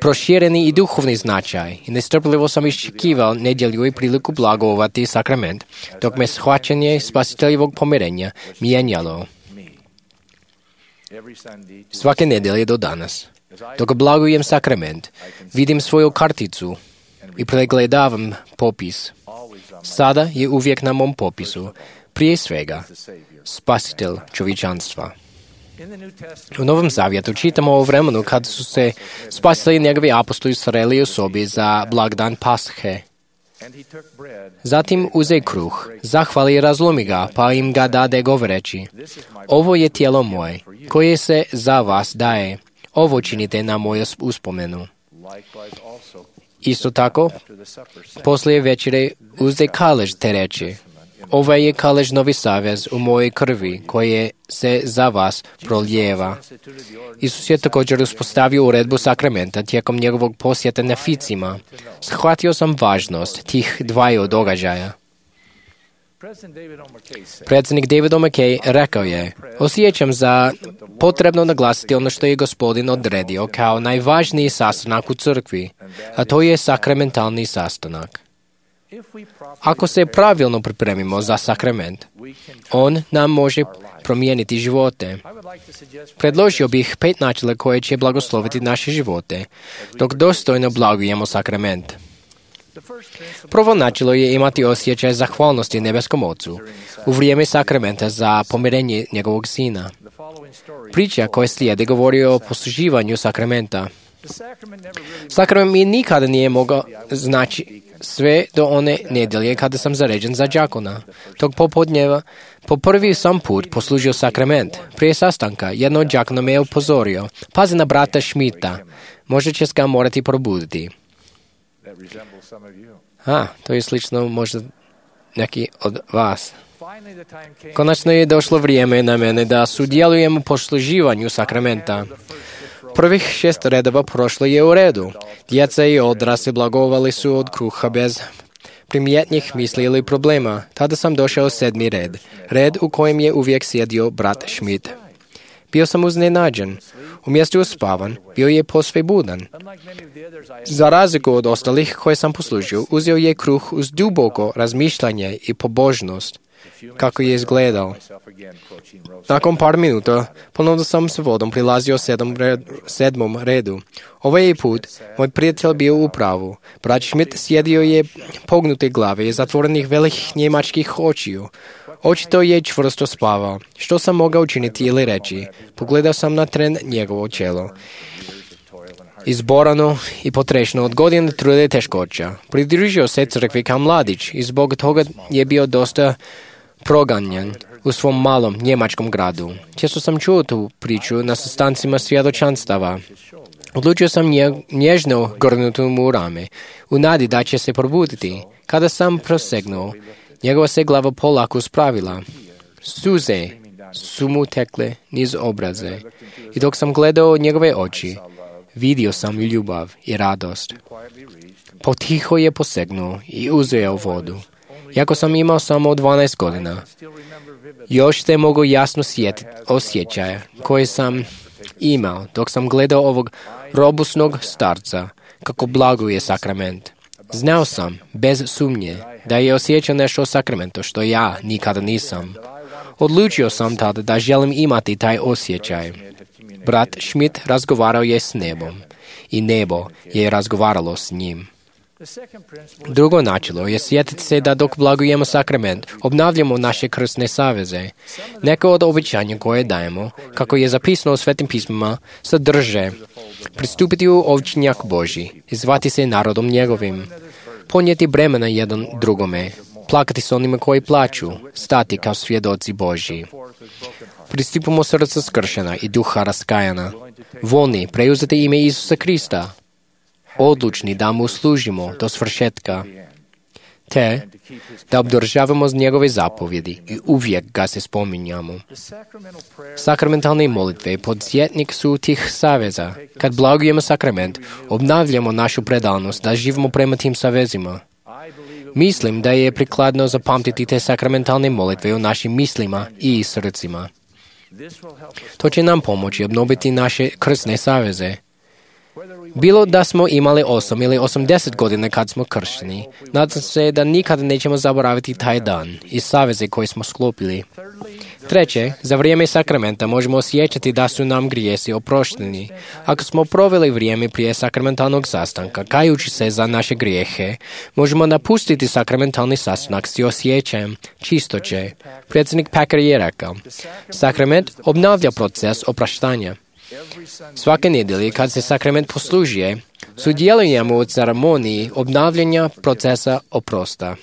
prošireni i duhovni značaj i nestrpljivo sam iščekivao nedjelju i priliku blagovati sakrament, dok me shvaćanje spasiteljevog pomirenja mijenjalo. Svake nedelje do danas, dok blagujem sakrament, vidim svoju karticu i pregledavam popis. Sada je uvijek na mom popisu, prije svega, spasitelj čovječanstva. U Novom Zavjetu čitamo o vremenu kad su se spasitelji njegovi apostoli sreli u sobi za blagdan Pashe. Zatim uze kruh, zahvali i razlomi ga, pa im ga dade govoreći: ovo je tijelo moje, koje se za vas daje. Ovo činite na moju uspomenu. Isto tako, poslije večere uzde kalež te reče: ovaj je kalež novi savez u mojoj krvi, koje se za vas prolijeva. Isus je također uspostavio uredbu sakramenta tijekom njegovog posjeta na Ficima. Shvatio sam važnost tih dvaju događaja. Predsjednik David O. McKay rekao je: osjećam za potrebno naglasiti ono što je Gospodin odredio kao najvažniji sastanak u crkvi, a to je sakramentalni sastanak. Ako se pravilno pripremimo za sakrament, on nam može promijeniti živote. Predložio bih pet načela koje će blagosloviti naše živote, dok dostojno blagujemo sakrament. Prvo načelo je imati osjećaj zahvalnosti nebeskom Ocu u vrijeme sakramenta za pomirenje njegovog sina. Priča koja slijede govori o posluživanju sakramenta. Sakrament mi nikada nije mogao znači sve do one nedjelje kada sam zaređen za đakona. Tog popodnjeva po prvi sam put poslužio sakrament. Prije sastanka jedno od đakona me je upozorio: pazi na brata Šmita, možda će ga morati probuditi. A, to je slično možda neki od vas. Konačno je došlo vrijeme na mene da sudjelujem u posluživanju sakramenta. Prvih šest redova prošlo je u redu. Djeca i odrasli blagovali su od kruha bez primjetnih misli ili problema. Tada sam došao u sedmi red. Red u kojem je uvijek sjedio brat Schmidt. Bio sam uznenađen. Umjesto uspavan, bio je posve budan. Za razliku od ostalih koje sam poslužio, uzeo je kruh uz duboko razmišljanje i pobožnost, kako je izgledao. Nakon par minuta, ponovno sam s vodom prilazio sedam red, sedmom redu. Ovaj put, moj prijatelj bio u pravu. Brat Schmidt sjedio je pognute glave i zatvorenih velikih njemačkih očiju. Očito je čvrsto spavao. Što sam mogao učiniti ili reći? Pogledao sam na tren njegovo čelo. Izborano i potrešno od godine trude teškoća. Pridružio se crkvi kao mladić i zbog toga je bio dosta proganjan u svom malom njemačkom gradu. Često sam čuo tu priču na sastancima svjedočanstava. Odlučio sam nje, nježno grnuti mu u rame, u nadi da će se probuditi. Kada sam prosegnuo, njegova se glava polako spravila. Suze su mu tekle niz obraze i dok sam gledao njegove oči, vidio sam ljubav i radost. Potiho je posegnuo i uzeo vodu. Iako sam imao samo dvanaest godina, još se mogu jasno sjetiti osjećaja koje sam imao dok sam gledao ovog robusnog starca kako blaguje sakrament. Znao sam, bez sumnje, da je osjećao nešto o sakramentu što ja nikada nisam. Odlučio sam tada da želim imati taj osjećaj. Brat Schmidt razgovarao je s nebom i nebo je razgovaralo s njim. Drugo načelo je sjetiti se da dok blagujemo sakrament, obnavljamo naše krsne saveze. Neka od obećanja koje dajemo, kako je zapisano u Svetim pismima, sadrže pristupiti u ovčinjak Božji, zvati se narodom njegovim, ponijeti bremena jedan drugome, plakati s onima koji plaću, stati kao svjedoci Božji. Pristupimo srca skršena i duha raskajana, voljni preuzeti ime Isusa Krista, odlučni da mu služimo do svršetka, te da obdržavamo njegove zapovjedi i uvijek ga se spominjamo. Sakramentalne molitve podsjetnik su tih saveza. Kad blagujemo sakrament, obnavljamo našu predanost da živimo prema tim savezima. Mislim da je prikladno zapamtiti te sakramentalne molitve u našim mislima i srcima. To će nam pomoći obnoviti naše krsne saveze. Bilo da smo imali osam ili osamdeset godina kad smo kršteni, nadam se da nikada nećemo zaboraviti taj dan i saveze koje smo sklopili. Treće, za vrijeme sakramenta možemo osjećati da su nam grijesi oprošteni. Ako smo proveli vrijeme prije sakramentalnog sastanka, kajući se za naše grijehe, možemo napustiti sakramentalni sastanak s osjećajem čistoće. Predsjednik Packer je rekao, sakrament obnavlja proces opraštanja. Svake nedjelje kad se sakrament poslužuje, sudjelujemo u ceremoniji obnavljanja procesa oprosta.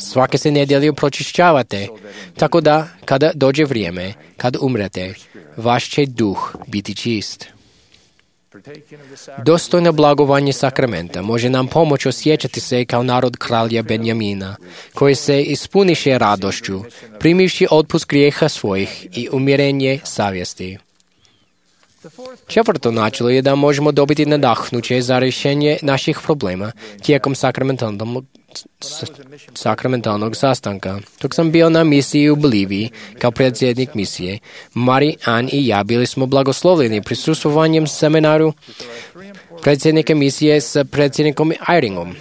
Svake se nedjelje pročišćavate, tako da kada dođe vrijeme, kad umrete, vaš će duh biti čist. Dostojno blagovanje sakramenta može nam pomoći osjećati se kao narod kralja Benjamina, koji se ispuniše radošću, primivši otpust grijeha svojih i umirenje savjesti. Četvrto načelo je da možemo dobiti nadahnuće za rješenje naših problema tijekom sakramentalnog, sakramentalnog sastanka. Dok sam bio na misiji u Boliviji kao predsjednik misije, Mari, Ann i ja bili smo blagoslovljeni prisustvovanjem seminaru predsjednika misije s predsjednikom Eyringom.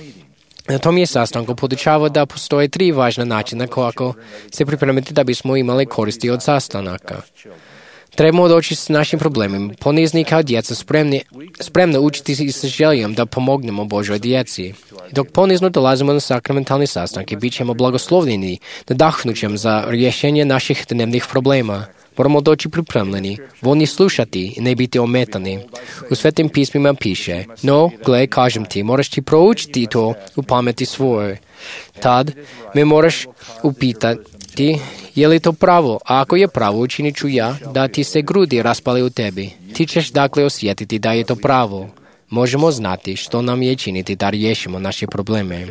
Na tom je sastanku podučavao da postoje tri važna načina kako se pripremiti da bismo imali koristi od sastanaka. Trebamo doći s našim problemima, ponizni kao djeca, spremni, spremno učiti i sa željom da pomognemo Božoj djeci. Dok ponizno dolazimo na sakramentalni sastanke, bit ćemo blagoslovljeni, nadahnućem za rješenje naših dnevnih problema. Moramo doći pripremljeni, voljni slušati i ne biti ometani. U Svetim pismima piše, no, gle, kažem ti, moraš ti proučiti to u pameti svojoj. Tad me moraš upitati, je li to pravo? A ako je pravo, učinit ću ja da ti se grudi raspali u tebi. Ti ćeš dakle osjetiti da je to pravo. Možemo znati što nam je činiti da riješimo naše probleme.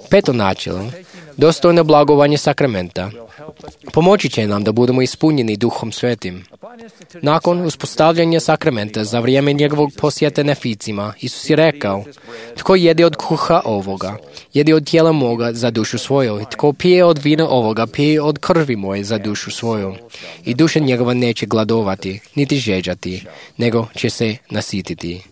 Peto načelo, dostojno blagovanje sakramenta, pomoći će nam da budemo ispunjeni Duhom Svetim. Nakon uspostavljanja sakramenta za vrijeme njegovog posjeta Neficima, Isus je rekao: tko jede od kruha ovoga, jede od tijela moga za dušu svoju, tko pije od vina ovoga, pije od krvi moje za dušu svoju. I duša njegova neće gladovati, niti žeđati, nego će se nasititi.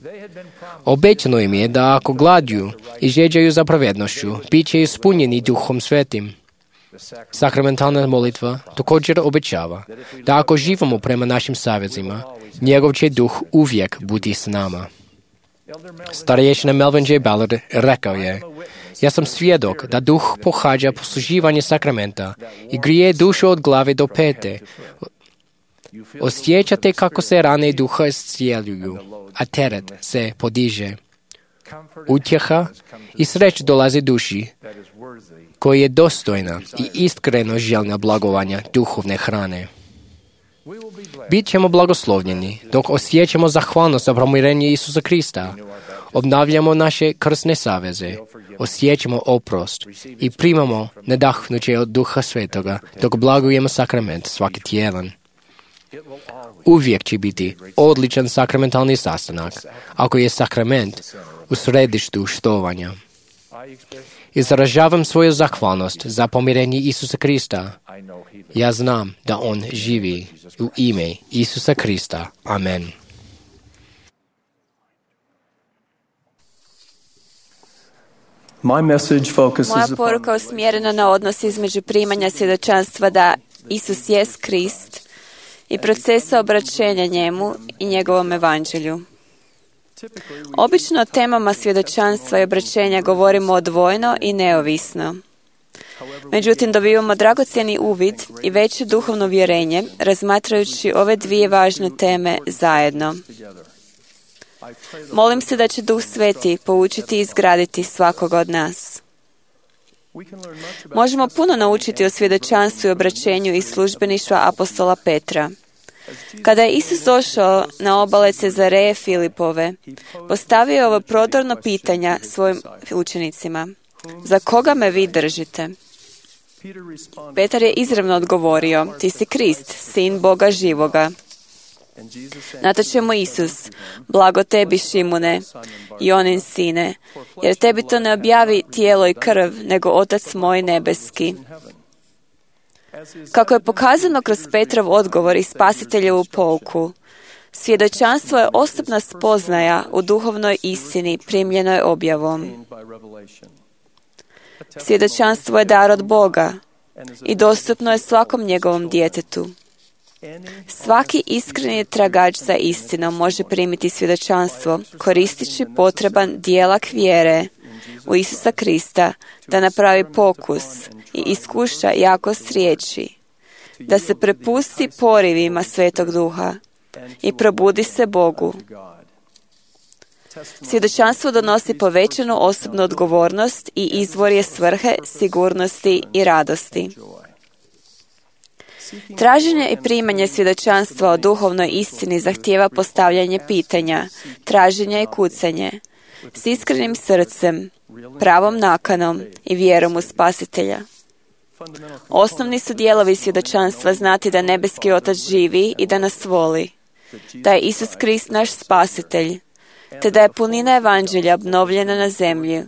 Obećano im je da ako gladuju i žeđaju za pravednošću, bit će ispunjeni Duhom Svetim. Sakramentalna molitva također obećava da ako živimo prema našim savezima, njegov će duh uvijek biti s nama. Starješina Melvin J. Ballard rekao je: ja sam svjedok da duh pohađa posluživanje sakramenta i grije dušu od glave do pete. Osjećate kako se rane duha iscijeljuju, a teret se podiže. Utjeha i sreć dolazi duši koja je dostojna i iskreno željna blagovanja duhovne hrane. Bit ćemo blagoslovljeni dok osjećamo zahvalnost za pomirenje Isusa Krista, obnavljamo naše krsne saveze, osjećamo oprost i primamo nadahnuće od Duha Svetoga dok blagujemo sakrament svaki tjedan. Uvijek će biti odličan sakramentalni sastanak ako je sakrament u središtu štovanja. Izražavam svoju zahvalnost za pomirenje Isusa Krista. Ja znam da On živi. U ime Isusa Krista. Amen. Moja poruka je usmjerena na odnos između primanja svjedočanstva da Isus jest Krist i procesa obraćenja njemu i njegovom evanđelju. Obično o temama svjedočanstva i obraćenja govorimo odvojeno i neovisno. Međutim, dobivamo dragocjeni uvid i veće duhovno vjerenje razmatrajući ove dvije važne teme zajedno. Molim se da će Duh Sveti poučiti i izgraditi svakog od nas. Možemo puno naučiti o svjedočanstvu i obraćenju iz službeništva apostola Petra. Kada je Isus došao na obale Cezareje Filipove, postavio je ovo prodorno pitanja svojim učenicima: za koga me vi držite? Petar je izravno odgovorio: ti si Krist, sin Boga živoga. Na to će mu Isus: blago tebi, Šimune, Jonin sine, jer tebi to ne objavi tijelo i krv, nego Otac moj nebeski. Kako je pokazano kroz Petrov odgovor i Spasiteljevu pouku, svjedočanstvo je osobna spoznaja u duhovnoj istini primljenoj objavom. Svjedočanstvo je dar od Boga i dostupno je svakom njegovom djetetu. Svaki iskreni tragač za istinom može primiti svjedočanstvo koristeći potreban dijelak vjere u Isusa Krista da napravi pokus i iskuša jakost riječi, da se prepusti porivima Svetog Duha i probudi se Bogu. Svjedočanstvo donosi povećanu osobnu odgovornost i izvor je svrhe, sigurnosti i radosti. Traženje i primanje svjedočanstva o duhovnoj istini zahtijeva postavljanje pitanja, traženje i kucanje, s iskrenim srcem, pravom nakanom i vjerom u Spasitelja. Osnovni su dijelovi svjedočanstva znati da nebeski Otac živi i da nas voli, da je Isus Krist naš Spasitelj, te da je punina evanđelja obnovljena na zemlji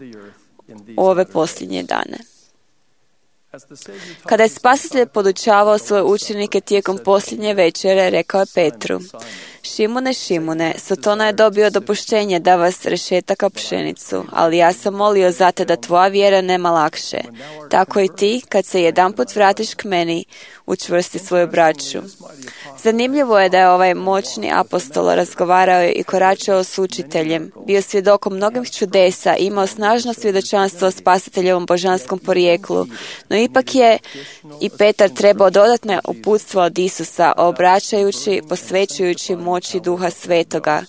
u ove posljednje dane. Kada je Spasitelj podučavao svoje učenike tijekom posljednje večere, rekao je Petru: Šimune, Šimune, Satana je dobio dopuštenje da vas rešetaka pšenicu, ali ja sam molio za te da tvoja vjera nema lakše. Tako i ti, kad se jedanput vratiš k meni, učvrsti svoju braću. Zanimljivo je da je ovaj moćni apostol razgovarao i koračao s učiteljem, bio svjedokom mnogih čudesa i imao snažno svjedočanstvo o Spasiteljevom božanskom porijeklu, no ipak je i Petar trebao dodatne uputstva od Isusa, obraćajući, posvećujući moći Duha Svetoga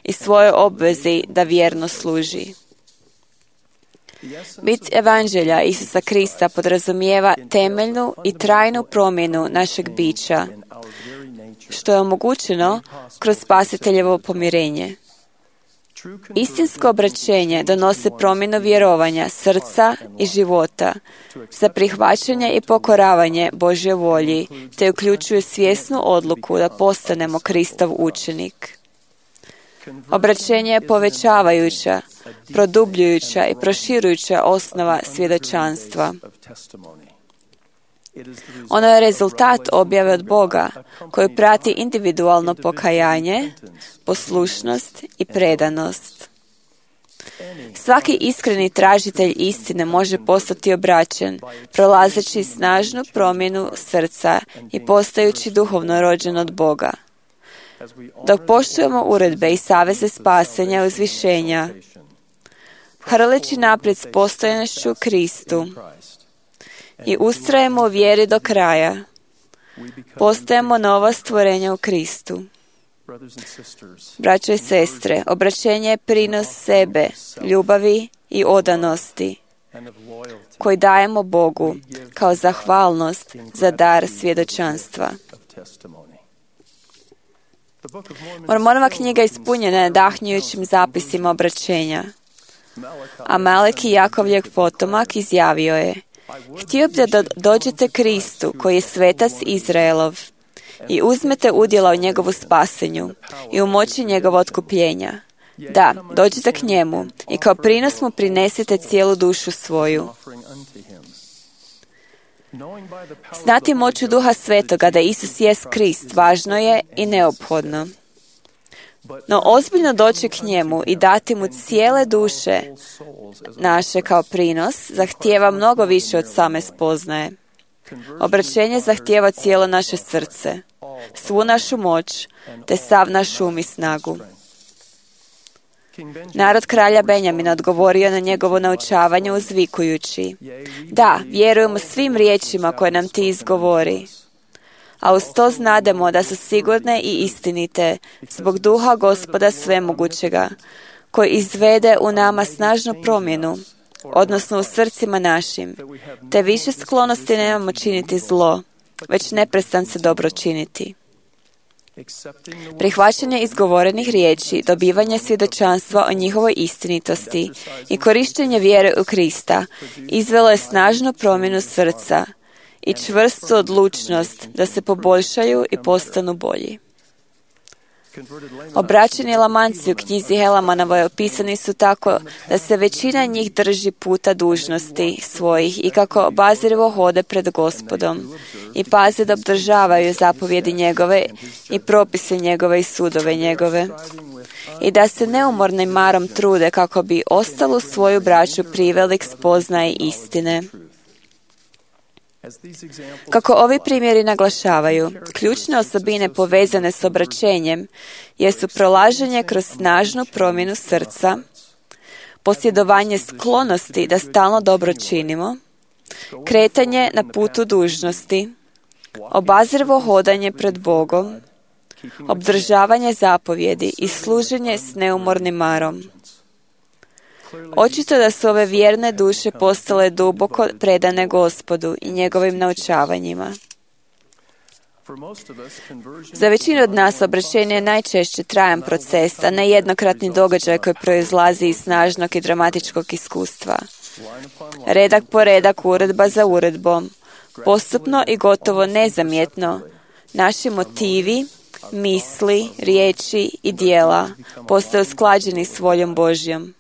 i svojoj obvezi da vjerno služi. Bit evanđelja Isusa Krista podrazumijeva temeljnu i trajnu promjenu našeg bića, što je omogućeno kroz Spasiteljevo pomirenje. Istinsko obraćenje donose promjenu vjerovanja, srca i života za prihvaćanje i pokoravanje Božje volji, te uključuje svjesnu odluku da postanemo Kristov učenik. Obraćenje je povećavajuća, produbljujuća i proširujuća osnova svjedočanstva. Ono je rezultat objave od Boga, koju prati individualno pokajanje, poslušnost i predanost. Svaki iskreni tražitelj istine može postati obraćen, prolazeći snažnu promjenu srca i postajući duhovno rođen od Boga. Dok poštujemo uredbe i saveze spasenja i uzvišenja, hrleći naprijed s postojanošću u Kristu i ustrajemo u vjeri do kraja, postajemo nova stvorenja u Kristu. Braćo i sestre, obraćenje je prinos sebe, ljubavi i odanosti koji dajemo Bogu kao zahvalnost za dar svjedočanstva. Mormonova knjiga ispunjena je nadahnjujućim zapisima obraćenja. A Maleki, Jakovljev potomak, izjavio je: Htio bih da dođete Kristu, koji je svetac Izraelov, i uzmete udjela u njegovu spasenju i u moći njegova otkupljenja. Da, dođite k njemu i kao prinos mu prinesite cijelu dušu svoju. Znati moću Duha Svetoga da Isus jest Krist važno je i neophodno. No ozbiljno doći k njemu i dati mu cijele duše naše kao prinos zahtijeva mnogo više od same spoznaje. Obraćenje zahtijeva cijelo naše srce, svu našu moć, te sav naš um i snagu. Narod kralja Benjamina odgovorio na njegovo naučavanje uzvikujući: Da, vjerujemo svim riječima koje nam ti izgovori, a uz to znademo da su sigurne i istinite zbog duha Gospoda svemogućega, koji izvede u nama snažnu promjenu, odnosno u srcima našim, te više sklonosti nemamo činiti zlo, već neprestance dobro činiti. Prihvaćanje izgovorenih riječi, dobivanje svjedočanstva o njihovoj istinitosti i korištenje vjere u Krista izvelo je snažnu promjenu srca i čvrstu odlučnost da se poboljšaju i postanu bolji. Obraćeni Lamanci u knjizi Helamanove opisani su tako da se većina njih drži puta dužnosti svojih i kako obazrivo hode pred Gospodom i paze da obdržavaju zapovjedi njegove i propise njegove i sudove njegove i da se neumornim marom trude kako bi ostalu svoju braću priveli k spoznaji istine. Kako ovi primjeri naglašavaju, ključne osobine povezane s obraćenjem jesu prolaženje kroz snažnu promjenu srca, posjedovanje sklonosti da stalno dobro činimo, kretanje na putu dužnosti, obazrivo hodanje pred Bogom, obdržavanje zapovjedi i služenje s neumornim marom. Očito da su ove vjerne duše postale duboko predane Gospodu i njegovim naučavanjima. Za većinu od nas obraćenje je najčešće trajan proces, a ne jednokratni događaj koji proizlazi iz snažnog i dramatičkog iskustva. Redak po redak, uredba za uredbom, postupno i gotovo nezamjetno, naši motivi, misli, riječi i dijela postaju usklađeni s voljom Božjom.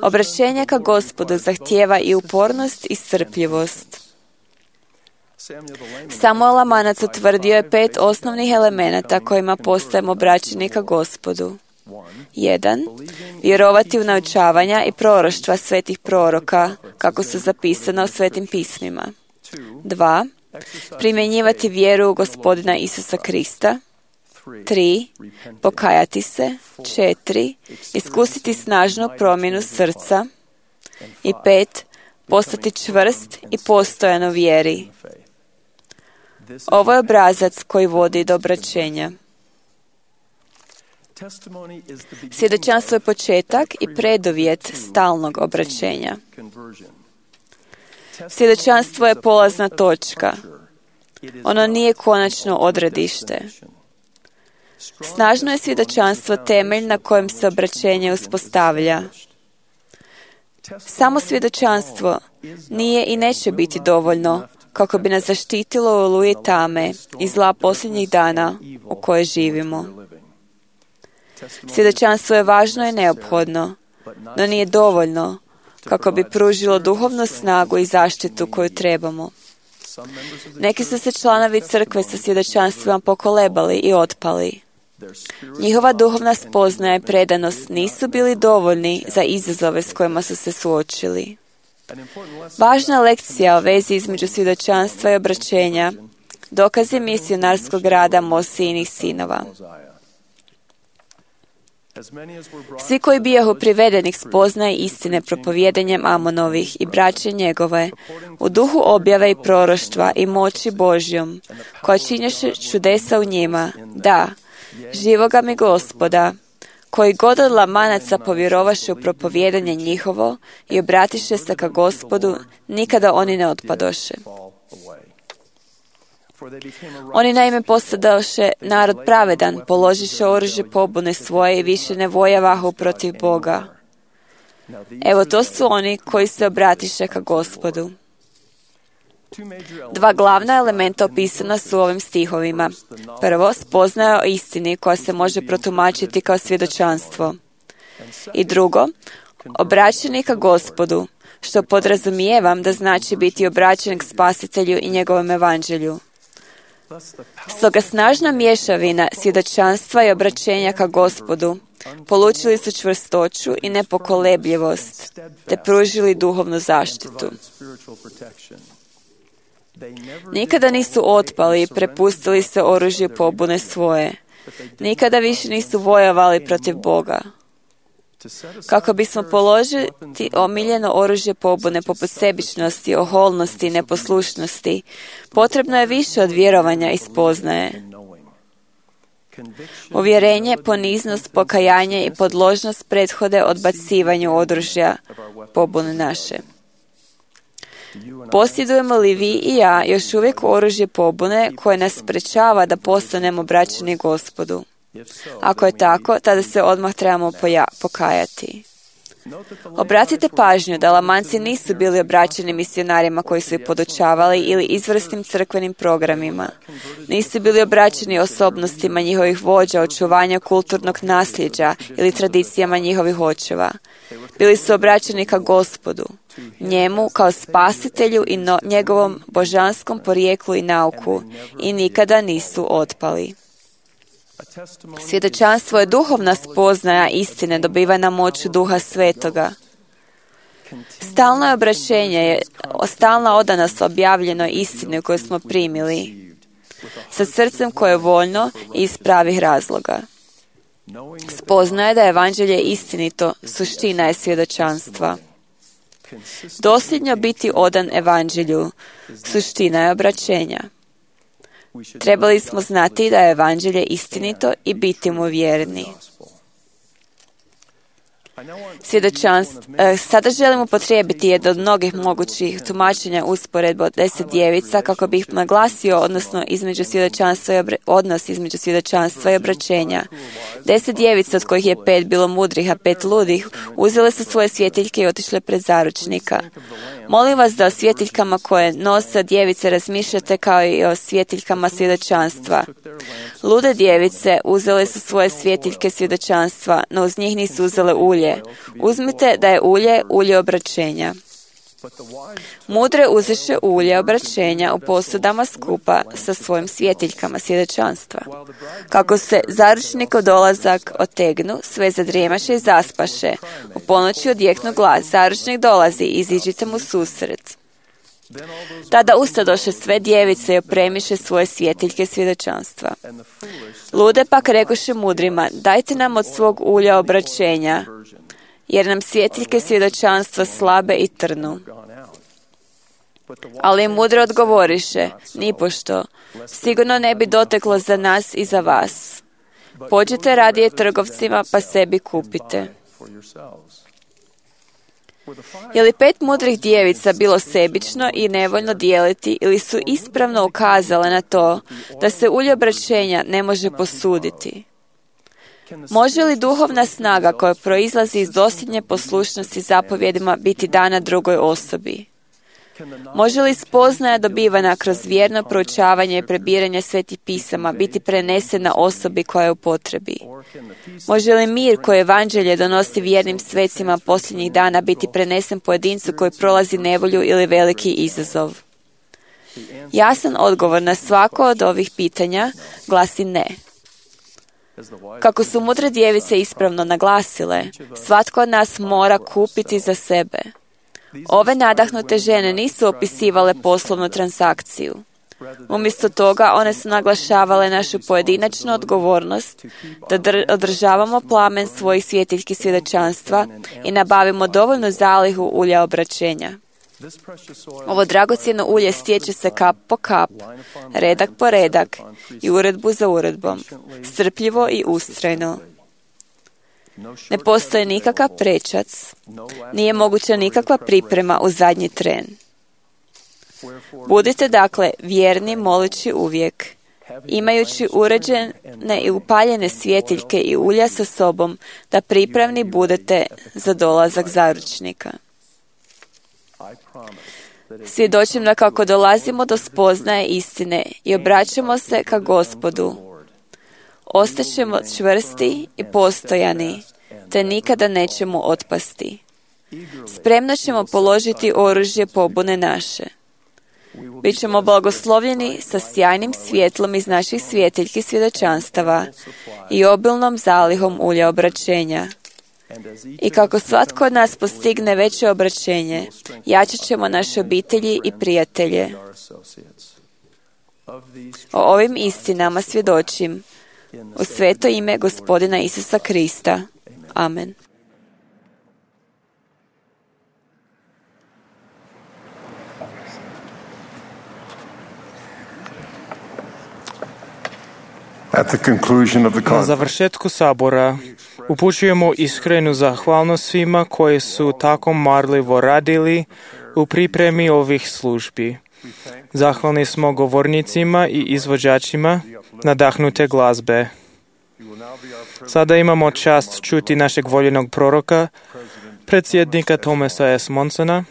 Obraćenje ka Gospodu zahtijeva i upornost i strpljivost. Samuel Lamanac utvrdio je pet osnovnih elemenata kojima postajemo obraćeni ka Gospodu. jedan. Vjerovati u naučavanja i proroštva svetih proroka, kako su zapisana u svetim pismima. dva. Primjenjivati vjeru u Gospodina Isusa Krista. tri. Pokajati se. četiri. Iskusiti snažnu promjenu srca. I pet. Postati čvrst i postojan u vjeri. Ovo je obrazac koji vodi do obraćenja. Svjedočanstvo je početak i preduvjet stalnog obraćenja. Svjedočanstvo je polazna točka. Ono nije konačno odredište. Snažno je svjedočanstvo temelj na kojem se obraćenje uspostavlja. Samo svjedočanstvo nije i neće biti dovoljno kako bi nas zaštitilo u oluji tame i zla posljednjih dana u kojoj živimo. Svjedočanstvo je važno i neophodno, no nije dovoljno kako bi pružilo duhovnu snagu i zaštitu koju trebamo. Neki su se članovi crkve sa svjedočanstvima pokolebali i otpali. Njihova duhovna spoznaja i predanost nisu bili dovoljni za izazove s kojima su se suočili. Važna lekcija o vezi između svjedočanstva i obraćenja dokaz je misionarskog rada Mosijinih sinova. Svi koji bijahu privedeni k spoznaji istine propovijedanjem Amonovih i braće njegove, u duhu objave i proroštva i moći Božjom, koja činješe čudesa u njima, da, živoga mi Gospoda, koji god od lamanaca povjerovaše u propovijedanje njihovo i obratiše se ka Gospodu, nikada oni ne otpadoše. Oni naime postadoše narod pravedan, položiše oružje pobune svoje i više ne vojavahu protiv Boga. Evo, to su oni koji se obratiše ka Gospodu. Dva glavna elementa opisana su u ovim stihovima. Prvo, spoznaja o istini koja se može protumačiti kao svjedočanstvo. I drugo, obraćeni ka Gospodu, što podrazumijevam da znači biti obraćen k Spasitelju i njegovom evanđelju. Stoga snažna mješavina svjedočanstva i obraćenja ka Gospodu polučili su čvrstoću i nepokolebljivost, te pružili duhovnu zaštitu. Nikada nisu otpali i prepustili se oružju pobune svoje. Nikada više nisu vojovali protiv Boga. Kako bismo položili omiljeno oružje pobune poput sebičnosti, oholnosti i neposlušnosti, potrebno je više od vjerovanja i spoznaje. Uvjerenje, poniznost, pokajanje i podložnost prethode odbacivanju oružja pobune naše. Posjedujemo li vi i ja još uvijek oružje pobune koje nas sprečava da postanemo obraćeni Gospodu? Ako je tako, tada se odmah trebamo poja- pokajati. Obratite pažnju da Lamanci nisu bili obraćeni misionarima koji su ih podučavali ili izvrsnim crkvenim programima. Nisu bili obraćeni osobnostima njihovih vođa, očuvanja kulturnog nasljeđa ili tradicijama njihovih očeva. Bili su obraćeni ka Gospodu, njemu kao spasitelju i no- njegovom božanskom porijeklu i nauku i nikada nisu otpali. Svjedočanstvo je duhovna spoznaja istine dobivena moću Duha Svetoga. Stalno obraćenje je stalna odanost objavljenoj istini koju smo primili, sa srcem koje je voljno i iz pravih razloga. Spoznaje da je evanđelje istinito, suština je svjedočanstva. Dosljedno biti odan evanđelju, suština je obraćenja. Trebali smo znati da je evanđelje istinito i biti mu vjerni. Svjedočanstvo. Sada želim upotrijebiti jedno od mnogih mogućih tumačenja usporedbe od deset djevica kako bih naglasio odnosno između svjedočanstva i obra... odnos između svjedočanstva i obraćenja. Deset djevica, od kojih je pet bilo mudrih, a pet ludih, uzele su svoje svjetiljke i otišle pred zaručnika. Molim vas da o svjetiljkama koje nose djevice razmišljate kao i o svjetiljkama svjedočanstva. Lude djevice uzele su svoje svjetiljke svjedočanstva, no uz njih nisu uzele ulje. Uzmite da je ulje ulje obraćenja. Mudre uzeše ulje obraćenja u posudama skupa sa svojim svjetiljkama svjedočanstva. Kako se zaručnikov dolazak otegnu, sve zadrijemaše i zaspaše. U ponoći odjeknu glas, zaručnik dolazi, iziđite mu susret. Tada ustadoše sve djevice i opremiše svoje svjetiljke svjedočanstva. Lude pak rekoše mudrima, dajte nam od svog ulja obraćenja, jer nam svjetiljke svjedočanstva slabe i trnu. Ali mudro odgovoriše, nipošto, sigurno ne bi doteklo za nas i za vas. Pođite radije trgovcima pa sebi kupite. Je li pet mudrih djevica bilo sebično i nevoljno dijeliti ili su ispravno ukazale na to da se ulje obraćenja ne može posuditi? Može li duhovna snaga koja proizlazi iz dosljednje poslušnosti zapovjedima biti dana drugoj osobi? Može li spoznaja dobivana kroz vjerno proučavanje i prebiranje svetih pisama biti prenesena osobi koja je u potrebi? Može li mir koji evanđelje donosi vjernim svecima posljednjih dana biti prenesen pojedincu koji prolazi nevolju ili veliki izazov? Jasan odgovor na svako od ovih pitanja glasi ne. Kako su mudre djevice ispravno naglasile, svatko od nas mora kupiti za sebe. Ove nadahnute žene nisu opisivale poslovnu transakciju. Umjesto toga, one su naglašavale našu pojedinačnu odgovornost da dr- održavamo plamen svojih svjetiljki svjedočanstva i nabavimo dovoljnu zalihu ulja obraćenja. Ovo dragocjeno ulje stječe se kap po kap, redak po redak i uredbu za uredbom, strpljivo i ustrajno. Ne postoji nikakav prečac, nije moguća nikakva priprema u zadnji tren. Budite dakle vjerni moleći uvijek, imajući uređene i upaljene svjetiljke i ulja sa sobom, da pripravni budete za dolazak zaručnika. Svjedočim da kako dolazimo do spoznaje istine i obraćamo se ka Gospodu, ostaćemo čvrsti i postojani, te nikada nećemo otpasti. Spremno ćemo položiti oružje pobune naše. Bićemo blagoslovljeni sa sjajnim svjetlom iz naših svjetiljki svjedočanstava i obilnom zalihom ulja obraćenja. I kako svatko od nas postigne veće obraćenje, jačat ćemo naše obitelji i prijatelje. O ovim istinama svjedočim u sveto ime Gospodina Isusa Krista. Amen. Na završetku sabora upućujemo iskrenu zahvalnost svima koji su tako marljivo radili u pripremi ovih službi. Zahvalni smo govornicima i izvođačima nadahnute glazbe. Sada imamo čast čuti našeg voljenog proroka, predsjednika Thomasa S. Monsona.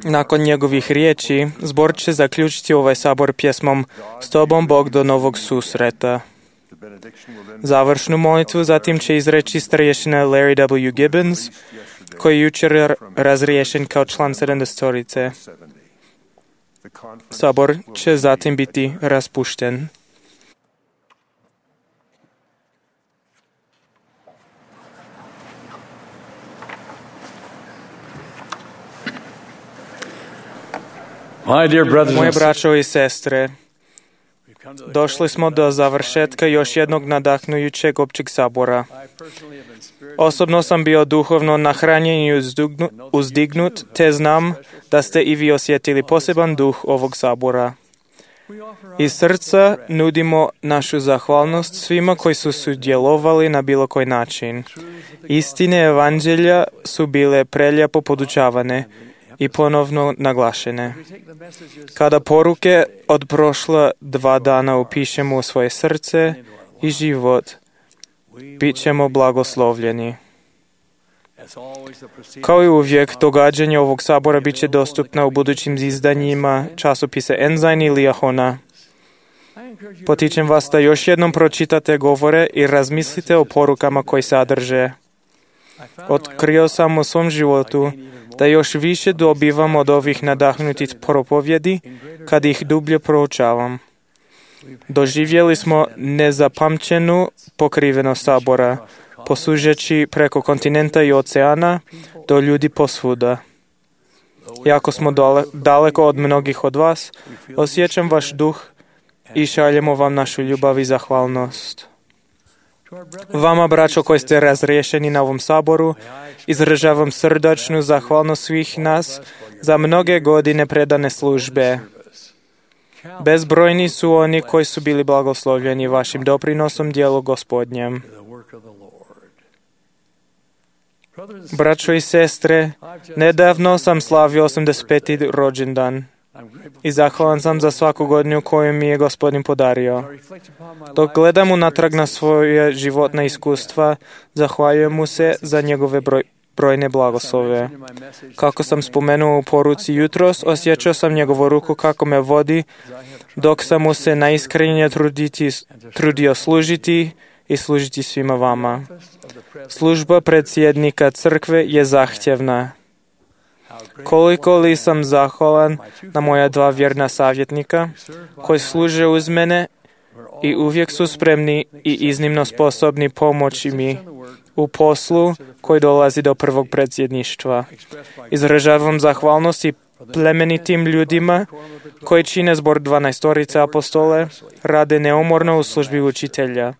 Nakon njegovih riječi, zbor će zaključiti ovaj sabor pjesmom S tobom Bog do novog susreta. Završnu molitvu zatim će izreći starješina Larry W. Gibbons, koji je jučer razriješen kao član sedamdesetorice. Sabor će zatim biti raspušten. Moje braćo i sestre, došli smo do završetka još jednog nadahnujućeg općeg sabora. Osobno sam bio duhovno nahranjen i uzdignut, te znam da ste i vi osjetili poseban duh ovog sabora. Iz srca nudimo našu zahvalnost svima koji su sudjelovali na bilo koji način. Istine evanđelja su bile prelijepo podučavane i ponovno naglašene. Kada poruke od prošla dva dana upišemo u svoje srce i život, bit ćemo blagoslovljeni. Kao i uvijek, događanje ovog sabora bit će dostupna u budućim izdanjima časopisa Ensign ili Ahona. Potičem vas da još jednom pročitate govore i razmislite o porukama koji sadrže. Otkrio sam u svom životu da još više dobivam od ovih nadahnutih propovjedi kad ih dublje proučavam. Doživjeli smo nezapamćenu pokrivenost sabora, posužeći preko kontinenta i oceana do ljudi posvuda. Iako smo dole, daleko od mnogih od vas, osjećam vaš duh i šaljemo vam našu ljubav i zahvalnost. Vama, braćo koji ste razriješeni na ovom saboru, izražavam srdačnu zahvalnost svih nas za mnoge godine predane službe. Bezbrojni su oni koji su bili blagoslovljeni vašim doprinosom djelu Gospodnjem. Braćo i sestre, nedavno sam slavio osamdeset peti rođendan. I zahvalan sam za svaku godinu koju mi je Gospodin podario. Dok gledam unatrag na svoje životna iskustva, zahvaljujem mu se za njegove broj, brojne blagoslove. Kako sam spomenuo u poruci jutros, osjećao sam njegovu ruku kako me vodi, dok sam mu se najiskrenije truditi, trudio služiti i služiti svima vama. Služba predsjednika crkve je zahtjevna. Koliko li sam zahvalan na moja dva vjerna savjetnika koji služe uz mene i uvijek su spremni i iznimno sposobni pomoći mi u poslu koji dolazi do prvog predsjedništva. Izražavam zahvalnost i plemenitim ljudima koji čine zbor dvanaestorice apostole, rade neumorno u službi učitelja,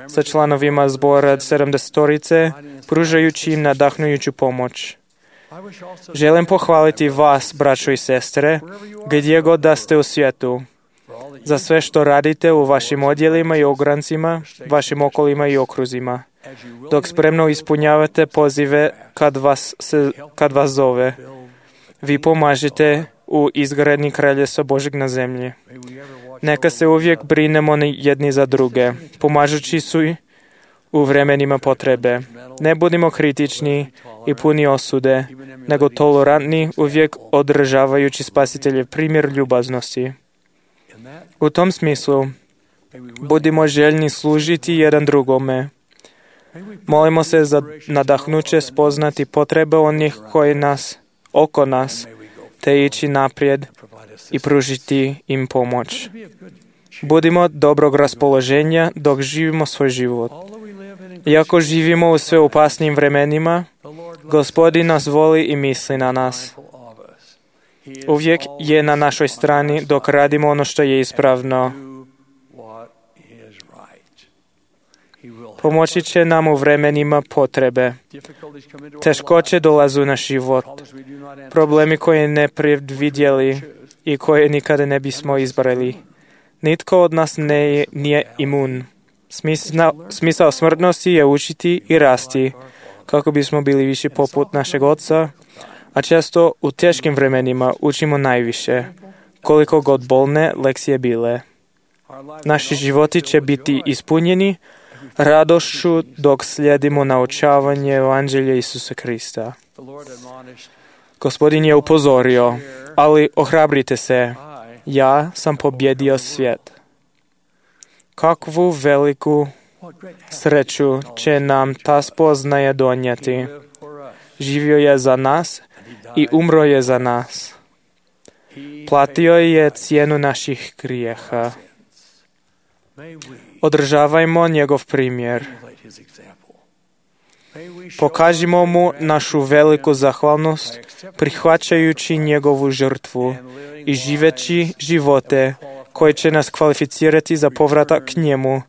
sa članovima zbora sedamdesetorice, pružajući im nadahnujuću pomoć. Želim pohvaliti vas, braćo i sestre, gdje god da ste u svijetu, za sve što radite u vašim odjelima i ograncima, vašim okolima i okruzima, dok spremno ispunjavate pozive kad vas, se, kad vas zove. Vi pomažete u izgradnji kraljevstva Božeg na zemlji. Neka se uvijek brinemo jedni za druge, pomažući su i u vremenima potrebe. Ne budimo kritični i puni osude, nego tolerantni, uvijek održavajući Spasiteljev primjer ljubaznosti. U tom smislu, budimo željni služiti jedan drugome. Molimo se za nadahnuće spoznati potrebe onih koji nas, oko nas, te ići naprijed i pružiti im pomoć. Budimo dobrog raspoloženja dok živimo svoj život. Iako živimo u sve opasnim vremenima, Gospodin nas voli i misli na nas. Uvijek je na našoj strani dok radimo ono što je ispravno. Pomoći će nam u vremenima potrebe. Teškoće dolazu na život. Problemi koje ne predvidjeli i koje nikada ne bismo izbrali. Nitko od nas ne, nije imun. Smisao, smisao smrtnosti je učiti i rasti, kako bismo bili viši poput našeg Oca, a često u teškim vremenima učimo najviše, koliko god bolne lekcije bile. Naši životi će biti ispunjeni radošću dok slijedimo naučavanje Evanđelja Isusa Krista. Gospodin je upozorio, ali ohrabrite se, ja sam pobjedio svijet. Kakvu veliku sreću će nam ta spoznaja donijeti. Živio je za nas i umro je za nas. Platio je cijenu naših grijeha. Održavajmo njegov primjer. Pokažimo mu našu veliku zahvalnost prihvaćajući njegovu žrtvu i živeći živote koji će nas kvalificirati za povratak k njemu,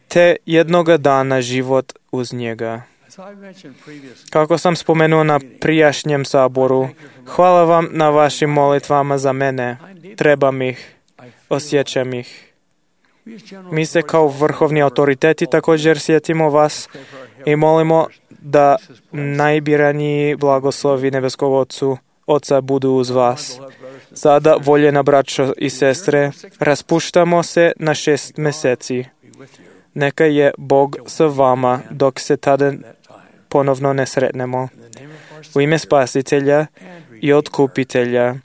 te jednoga dana život uz njega. Kako sam spomenuo na prijašnjem saboru, hvala vam na vašim molitvama za mene. Trebam ih, osjećam ih. Mi se kao vrhovni autoriteti također sjetimo vas i molimo da najbiraniji blagoslovi nebeskog Otcu, Oca budu uz vas. Sada, voljena braćo i sestre, raspuštamo se na šest mjeseci. Neka je Bog s vama dok se tada ponovno ne sretnemo. U ime Spasitelja i Otkupitelja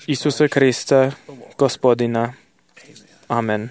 Isusa Krista, Gospodina. Amen.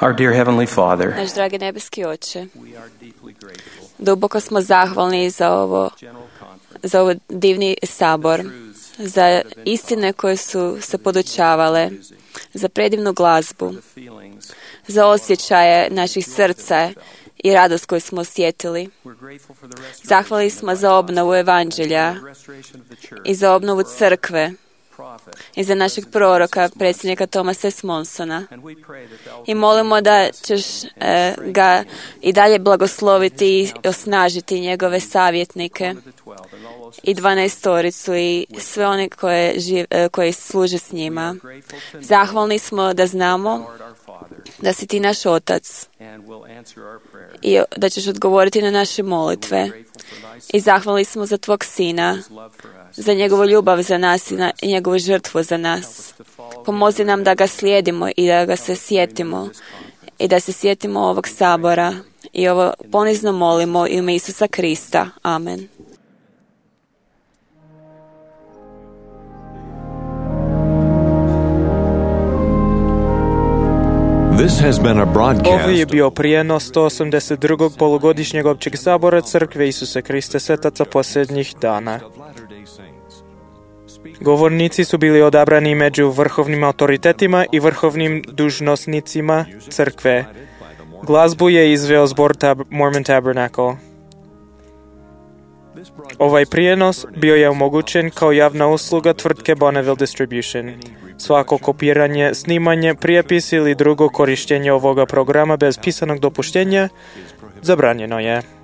Our dear Heavenly Father, Naš dragi nebeski Oče, duboko smo zahvalni za ovo, za ovo divni sabor, za istine koje su se podučavale, za predivnu glazbu, za osjećaje naših srca i radost koju smo osjetili. Zahvali smo za obnovu evanđelja i za obnovu crkve i za našeg proroka, predsjednika Thomasa S. Monsona. I molimo da ćeš e, ga i dalje blagosloviti i osnažiti njegove savjetnike i dvanaestoricu i sve one koje, živ, e, koje služe s njima. Zahvalni smo da znamo da si ti naš Otac i da ćeš odgovoriti na naše molitve. I zahvalni smo za tvog Sina, za njegovu ljubav za nas i, na, i njegovu žrtvu za nas. Pomozi nam da ga slijedimo i da ga se sjetimo i da se sjetimo ovog sabora i ovo ponizno molimo u ime Isusa Krista. Amen. This has been a broadcast. Ovo je bio prijenos sto osamdeset drugog polugodišnjeg općeg sabora Crkve Isuse Kriste Svetaca posljednjih dana. Govornici su bili odabrani među vrhovnim autoritetima i vrhovnim dužnosnicima crkve. Glazbu je izveo zbor Tab- Mormon Tabernacle. Ovaj prijenos bio je omogućen kao javna usluga tvrtke Bonneville Distribution. Svako kopiranje, snimanje, prijepis ili drugo korištenje ovoga programa bez pisanog dopuštenja zabranjeno je.